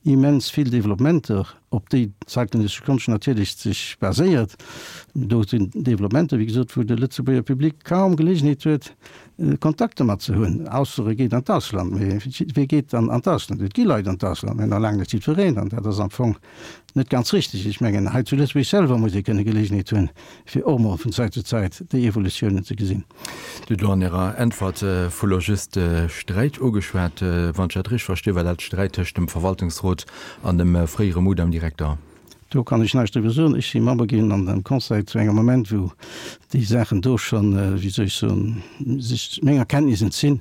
immens vill Developpementer, op déi d'zeitgenössesch Konscht natierlech sech baséiert. Do sinn Developpementer, wéi gesot, wou de Lëtzebuerger Public kaum Geleegenheet huet, Kontakt domat ze hunn, ausser e geet an d'Ausland. Mee wee geet dann an d'Ausland? Et gi Leit an d'Ausland, mä nach laang net jiddwereen. An dat ass am Fong net ganz richteg. Ech mengen, hei zu Lëtzebuerg selwer muss ee kënne Geleegenheet hunn, fir och mol vun Zäit zu Zäit déi Evolutiounen ze gesinn. Dir hutt elo an Ärer Äntwert vu lo just Sträit ugeschwat. Wann ech dat richteg versti, war dat Sträit tëscht dem Verwaltungsrot an dem fréiere Mudam-Direkter. Do kann ech näischt driwwer soen. Ech si Member ginn an dem Conseil zu engem Moment, wou déi Saachen do schonn, wéi soll ech soen, sech menger Kenntnis entzinn,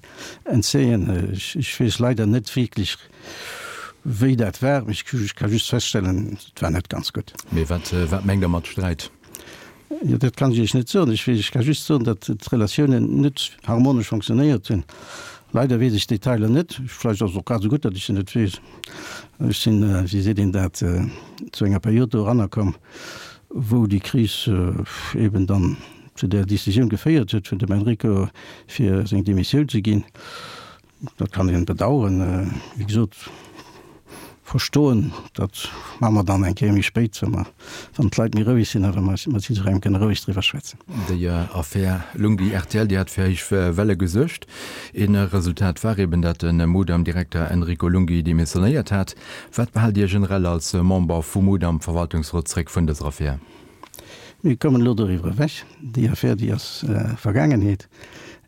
entzéien. Ech weess leider net wierklech, wéi dat war. Ech ka just feststellen, et war net ganz gutt. Mee wat, wat mengt Der mat Sträit? Jo, dat kann ech Iech net soen. Ech weess, ech ka just soen, datt d'Relatiounen net harmonesch fonctionnéiert hunn. Leider weess ech d'Detailer net. Vläicht ass et och grad esou gutt, datt ech se net weess. Ech sinn, wéi seet een dat, zu enger Period do eranner komm, Wou déi Kris eben dann zu där Decisioun geféiert huet vun dem Enrico fir seng Demissioun ze ginn. Dat kann een bedauern, wéi gesot, verstoen, dat maache mer dann eng Kéier méi spéit, wa mer, wann d'Leit méi roueg sinn a wa mer mat jiddwerengem kënne roueg driwwer schwätzen. Déi Affär Lunghi rtl, déi hat fir héich Welle gesuergt. Een Resultat war eben, datt de Mudam-Direkter Enrico Lunghi demissionéiert hat. Wat behaalt Dir generell als Member vum Mudam-Verwaltungsrot zréck vun dëser Affär? Mir kommen elo doriwwer ewech. Déi Affär, déi ass Vergaangenheet.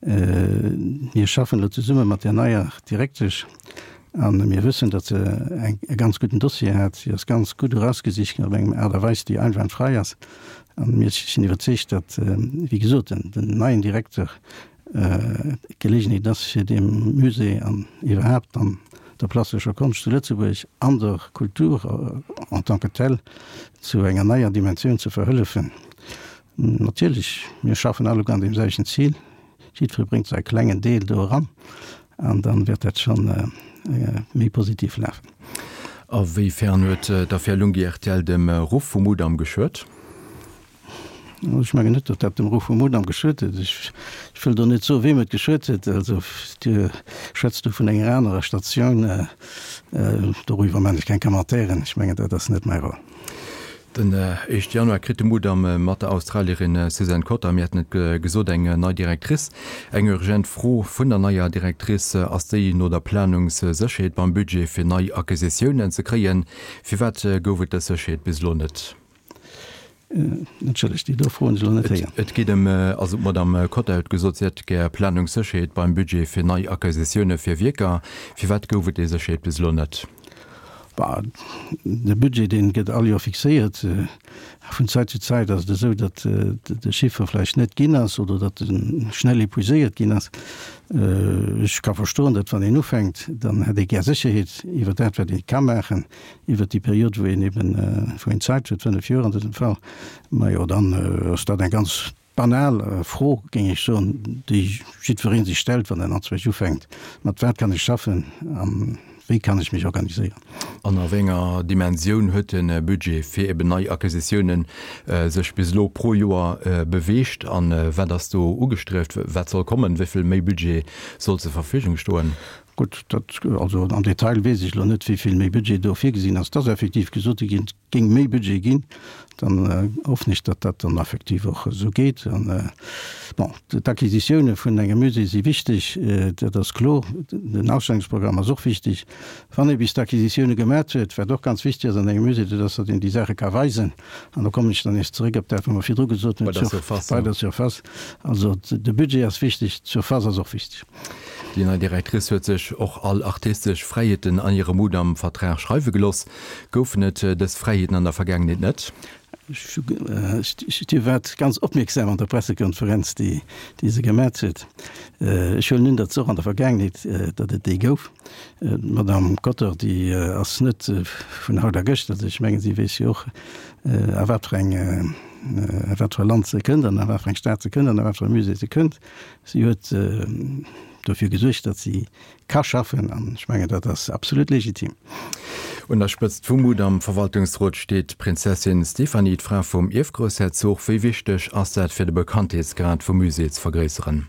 Mir schaffen elo zesumme mat där neier Direktesch a mir wëssen, datt se e ganz gudden Dossier hat. Si ass ganz gutt erausgesicht ginn op eng Aart a Weis, déi einwandfrei ass. A mir sinn iwwerzeegt, datt, wéi gesot, den neien Direkter d'Geleegenheet ass, fir deem Musée an iwwerhaapt an der plastescher Konscht zu Lëtzebuerg an der Kultur en tant que telle zu enger neier Dimensioun ze verhëllefen. Natierlech, mir schaffen alleguer an deem selwechten Zil, jiddweree bréngt säi klengen Deel do eran an dann wäert dat scho méi positiv lafen. A wéi fern huet d'Affär Lunghi rtl dem Ruff vum Mudam geschuet? Ech mengen net, datt dat dem Ruff vum Mudam geschuet huet. Ech wëll do net soen, weem et geschuet huet. Also Dir schwätzt do vun enger anerer Statioun. Doriwwer maachen ech keng Commentairen. Ech mengen, dat ass net mäi Rôle. Den éischte Januar kritt de Mudam mat der Australierin Suzanne Cotter, mir haten et gesot, eng nei Directrice. Eng urgent Fro vun der neier Directrice ass déi no der Planungssécherheet beim Budget fir nei Acquisitiounen ze kréien. Firwat gouf et dës Sécherheet bis elo net? Entschëllegt, déi do Fro hunn ech elo net héieren. Et geet ëm, also d'Madame Cotter huet gesot, si hätt gär Planungssécherheet beim Budget fir nei Acquisitioune fir Wierker. Firwat gouf et déi Sécherheet bis elo net? Bah, de Budget, dee gëtt all Joer fixéiert. Vun Zäit zu Zäit ass et esou, datt de Chiffer vläicht net ginn ass oder datt e schnell épuiséiert ginn ass. Ech ka verstoen, datt wann een ufänkt, dann hätt ee gär Sécherheet iwwer dat, wat ee ka maachen, iwwer déi Period, wou een eben, wou een Zäit huet, fënnef Joer an dësem Fall. Majo, dann ass dat eng ganz banal Fro, géing ech soen, déi jiddweree sech stellt, wann en anzwousch ufänkt, Mat wat kann ech schaffen a wéi kann ech mech organiséieren? An a wéi enger Dimensioun huet de Budget fir eben nei Acquisitiounen sech bis elo pro Joer beweegt a wat ass do ugestrieft? Wat soll kommen? Wéi vill méi Budget soll zur Verfügung stoen? Gutt, dat, also am Detail weess ech elo net, wéi vill méi Budget do virgesinn ass. Et ass effektiv gesot ginn, et géing méi Budget ginn. Dann hoffen ech, datt dat dann effektiv och esou geet. An, bon, d'Acquisitioune vun engem Musée si wichteg, dat ass kloer. Den Ausstellungsprogramm ass och wichteg. Wann ee bis d'Acquisitioune gemat huet, wat och ganz wichteg ass an engem Musée, dat ass, datt een déi Saache ka weisen. An do kommen ech dann nees zeréck op dat, wat mer virdru gesot hunn, Bei der Surface. Bei der Surface. Also de Budget ass wichteg, d'Surface ass och wichteg. Déi nei Directrice huet sech och all artistesch Fräiheeten an hirem Mudam-Vertrag schreiwe geloss. Goufen et dës Fräiheeten an der Vergaangenheet net? Dir waart ganz opmierksam an der Pressekonferenz, déi se gemat huet. Ech huelen un, datt se och an der Vergaangenheet, datt et déi gouf. D'Madame Cotter, déi ass net vun haut a gëschter. Also ech mengen, si weess jo och, a wat fir eng, a wat fir e Land se kënnt an a wat fir eng Stad se kënnt an a wat fir e Musée se kënnt. Si huet dofir gesuergt, datt si ka schaffen, an ech mengen, dat ass absolut legitim. Un der Spëtzt vum Mudam Verwaltungsrot steet d'Prinzessin Stéphanie, d'Fra vum Ierfgroussherzog. Wéi wichteg ass dat fir de Bekanntheetsgrad vum Musée ze vergréisseren?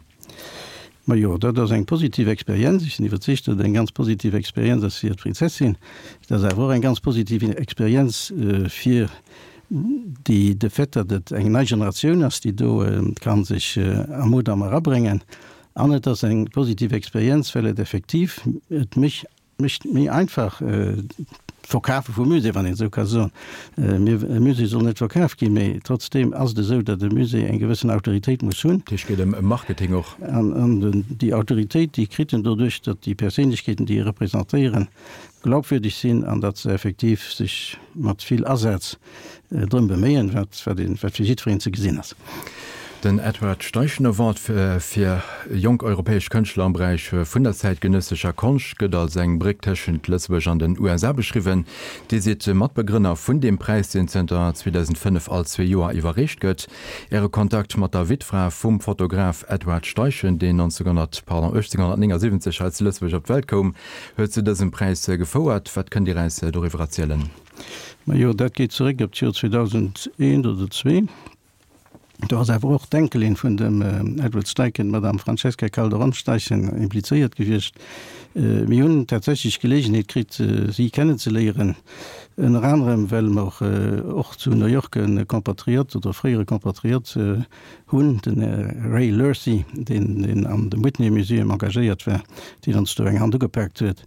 Majo, dat ass eng positiv Experienz. Ech sinn iwwerzeegt, datt et eng ganz positiv Experienz ass fir d'Prinzessin. Et ass awer och eng ganz positiv Experienz fir déi, de Fait, datt et eng nei Generatioun ass, déi do ka sech am Mudam erabréngen. An et ass eng positiv Experienz, well et effektiv et mech mécht méi einfach d'Verkafe vum Musée, wann een esou ka soen. Mir, e Musée soll net verkaf ginn, mee trotzdeem ass et esou, datt e Musée eng gewëssen Autoritéit muss hunn. Dat heescht, et geet ëm Marketing och. An, an déi Autoritéit, déi kritt en doduerch, datt déi Perséinlechkeeten, déi e representéieren, glaubwürdeg sinn an datt se effektiv sech mat vill Asaz drëm beméien, wat, wat een, wat fir jiddwereen ze gesinn ass. Den Edward Steichen Award fir jonk europäesch Kënschtler am Beräich vun der zäitgenëssescher Konscht gëtt als eng Bréck tëschent Lëtzebuerg an den U S A beschriwwen. Dir sidd Matbegrënner vun deem Präis, deen zënter zweedausendfënnef all zwee Joer iwwerreecht gëtt. Äre Kontakt mat der Wittfra vum Fotograf Edward Steichen, deen neunzehnhundert, pardon, achtzehnhundertneunundsiebzig hei zu Lëtzebuerg op d'Welt koum, huet zu dësem Präis gefouert. Wat kënnt Dir eis doriwwer erzielen? Majo, dat geet zeréck op d'Joer zweedausendeent oder zwee. Do ass awer och d'Enkelin vun dem Edward Steichen, d'Madame Francesca Calderon-Steichen, implizéiert gewiescht. Mir hunn tatsächlech d'Geleegenheet kritt, si kennenzeléieren, ënner anerem well mer och zu New York e Compatriot oder fréiere Compatriot hunn, den Ray Lurcy, deen an dem Whitney Museum engagéiert war, deen ons do eng Hand ugepaakt huet.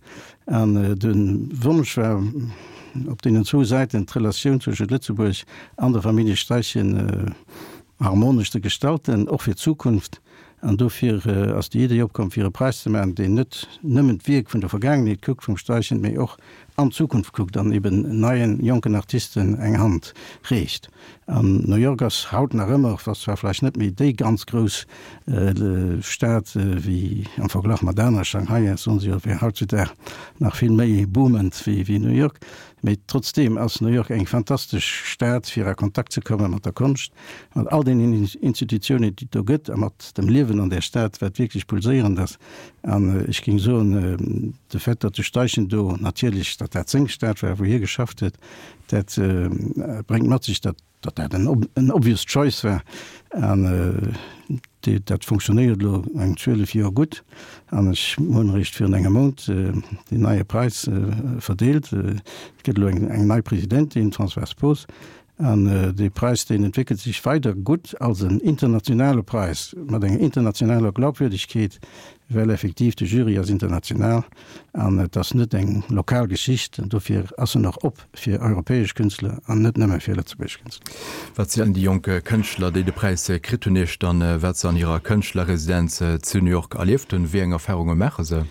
An de Wonsch war, op deenen zwou Säiten d'Relatioun zwëschent Lëtzebuerg an der Famillje Steichen harmonesch ze gestalten, och fir d'Zukunft. An dofir ass déi Idee opkomm, fir e Präis ze maachen, deen net nëmmen d'Wierk vun der Vergaangenheet kuckt vum Steichen, mee och an d'Zukunft kuckt an eben neien, jonken Artisten eng Hand reecht. An New York ass haut nach ëmmer, ass zwar vläicht net méi déi ganz grouss Stad wéi am Verglach mat anere, Shanghai ass, soen se jo, wär hautzudag nach vill méi boomend wéi New York, mee trotzdeem ass New York eng fantastesch Stad, fir a Kontakt ze komme mat der Konscht, mat all deenen Institutiounen, déi et do gëtt, a mat dem Liewen an där Stad, wat wierklech pulséierend ass. An ech géing soen, de Fait, datt de Steichen do natierlech, datt dat seng Stad war, wou hie geschafft huet, dat bréngt mat sech, datt datt dat en obvious choice war. An dat funktionéiert elo eng zwielef Joer gutt. An ech hunn eréischt virun engem Mount deen neie Präis verdeelt. Et gëtt elo eng nei Presidentin, d'Françoise Poos. An dee Präis, deen entwéckelt sech weider gutt als en internationale Präis mat enger internationaler Glaubwürdegkeet, well effektiv de Jury ass international an et ass net eng lokal Geschicht. An dofir ass en och op fir europäesch Künstler an net nëmme fir lëtzebuergesch Künstler. Wat zielen déi jonk Kënschtler, déi de Präis kritt hunn, Iech dann, wat se an hirer Kënschtlerresidenz zu New York erlieft hunn? Wéi eng Erfarunge maache se?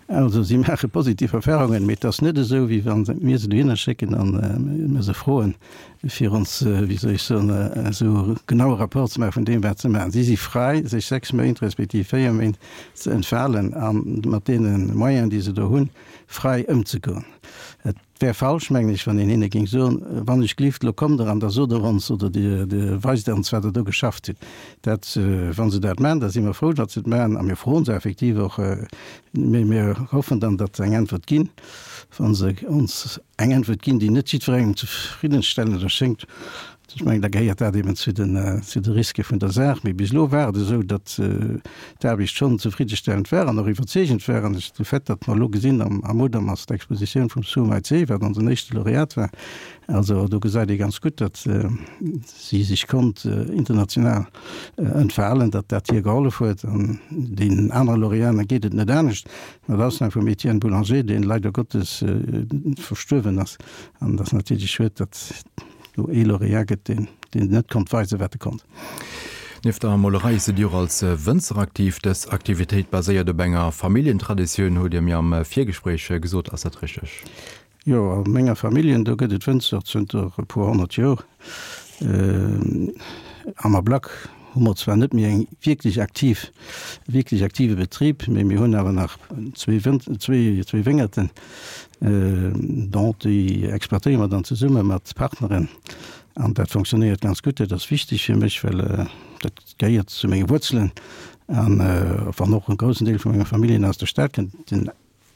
Also si maache positiv Erfarungen, mee et ass net esou, wéi wa mir se dohinner schécken a mir se froen, fir ons, wéi soll ech soen, esou genaue Rapport ze maache vun deem, wat se maachen. Si si fräi, sech sechs Méint respektiv véier Méint ze entfalen a mat deene Moyenen, déi se do hunn, fräi ëmzegoen. Et wär falsch, mengen ech, wann een hinne géing soen, Wann ech gelift, elo kommt Der an da sot Der ons oder Dir weist ons, wat Der do geschafft hutt. Dat, wa se dat maachen, da si mer frou, datt se et maachen a mir froen se effektiv och. Mee mir hoffen dann, datt se eng Äntwert ginn. Wa se ons eng Äntwert ginn, déi net jiddwerengem zefriddenstellend erschéngt, ech mengen, da gehéiert dat eben zu den, zu de Riske vun der Saach. Mee bis elo war et esou, datt d'Aarbecht schonn zefriddestellend war an och iwwerzeegend war. An de Fait, datt mer elo gesinn, am am Mudam ass d'Expositioun vum Su Mei-Tse, wat onsen éischte Laureat war, also do gesäit ee ganz gutt, datt si sech konnt international entfalen, datt dat hir gehollef huet. An deenen anere Laureaten geet et net anescht, mat Ausnam vum Etienne Boulanger, deen leider Gottes verstuerwen ass. An et ass natierlech schued, datt do ee Lauréat gëtt, deen, deen net konnt weisen, wat e konnt. Nieft der Molerei sidd Dir och als Wënzer aktiv. Dës Aktivitéit baséiert op enger Familljentraditioun, hutt Dir mir am Virgespréich gesot. Ass dat richteg? Jo, a menger Familljen, do gëtt et Wënzer zënter e puer honnert Joer. Am Ablack hu mer zwar net méi eng wierklech aktiv, wierklech aktive Betrib, mee mir hunn awer nach zwee Wën, zwee, zwee Wéngerten. Bon, déi exploitéiere mer dann zesumme mat Partneren an dat fonctionnéiert ganz gutt. Dat ass wichteg fir mech, well dat gehéiert zu menge Wuerzelen an wann och e groussen Deel vu menger Familljen aus der Stad kënnt, den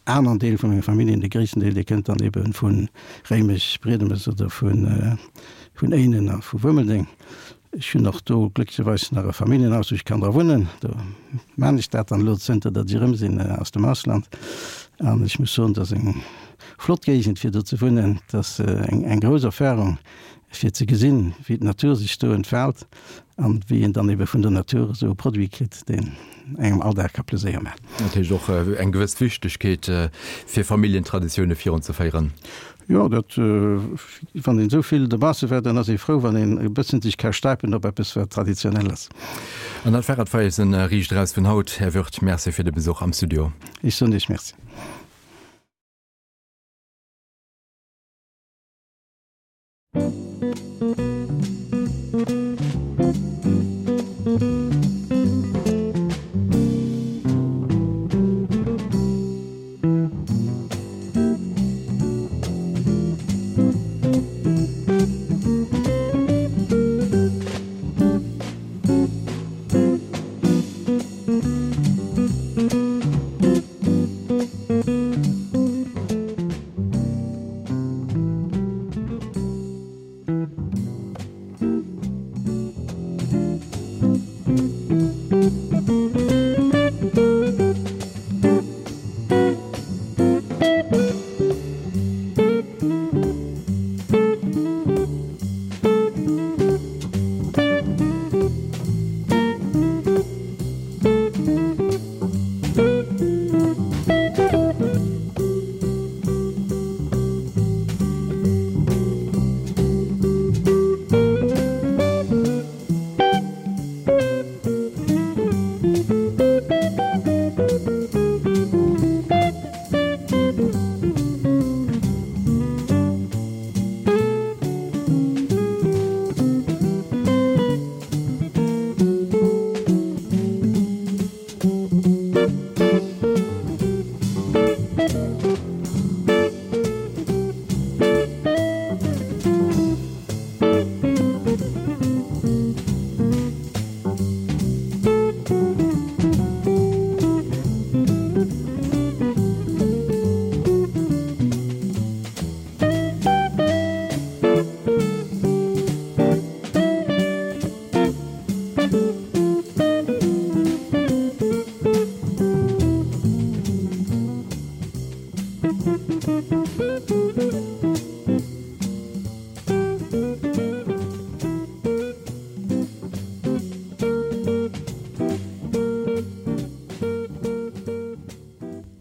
aneren Deel vu menger Familljen, de gréissten Deel, dee kënnt dann ebe vu Réimech, Briedemes oder vun Éinen a vu Wuermeldeng. Ech hunn och do glécklecherweis nach e Familljenhaus, wou ech kann dra wunnen. Do maan ech dat dann elo, zënter datt ech erëm sinn aus dem Ausland. An ech muss soen, et ass eng flott Géigend, fir do ze wunnen. Et ass eng grouss Erfahrung, fir ze gesinn, wéi d'Natur sech do entfaalt an wéi een dann ebe vun der Natur esou e Produit kritt, deen engem all Dag ka Pleséier maachen. Dat heescht och eng gewëss Wichtegkeet, fir Familljentraditioune virunzeféieren. Jo, dat, wann een esou vill dobausse war, dann ass ee frou, wann een e bëssen sech ka stäipen op eppes, wat traditionell ass. An dat war et fir eisen Riicht Eraus vun haut. Här Wirth, Merci fir de Besuch am Studio. Ech soen Iech Merci.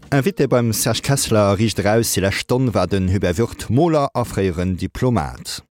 Invité beim Serge Kessler a Riicht Eraus déi lescht Stonn war den Hubert Würth, Moler a fréieren Diplomat.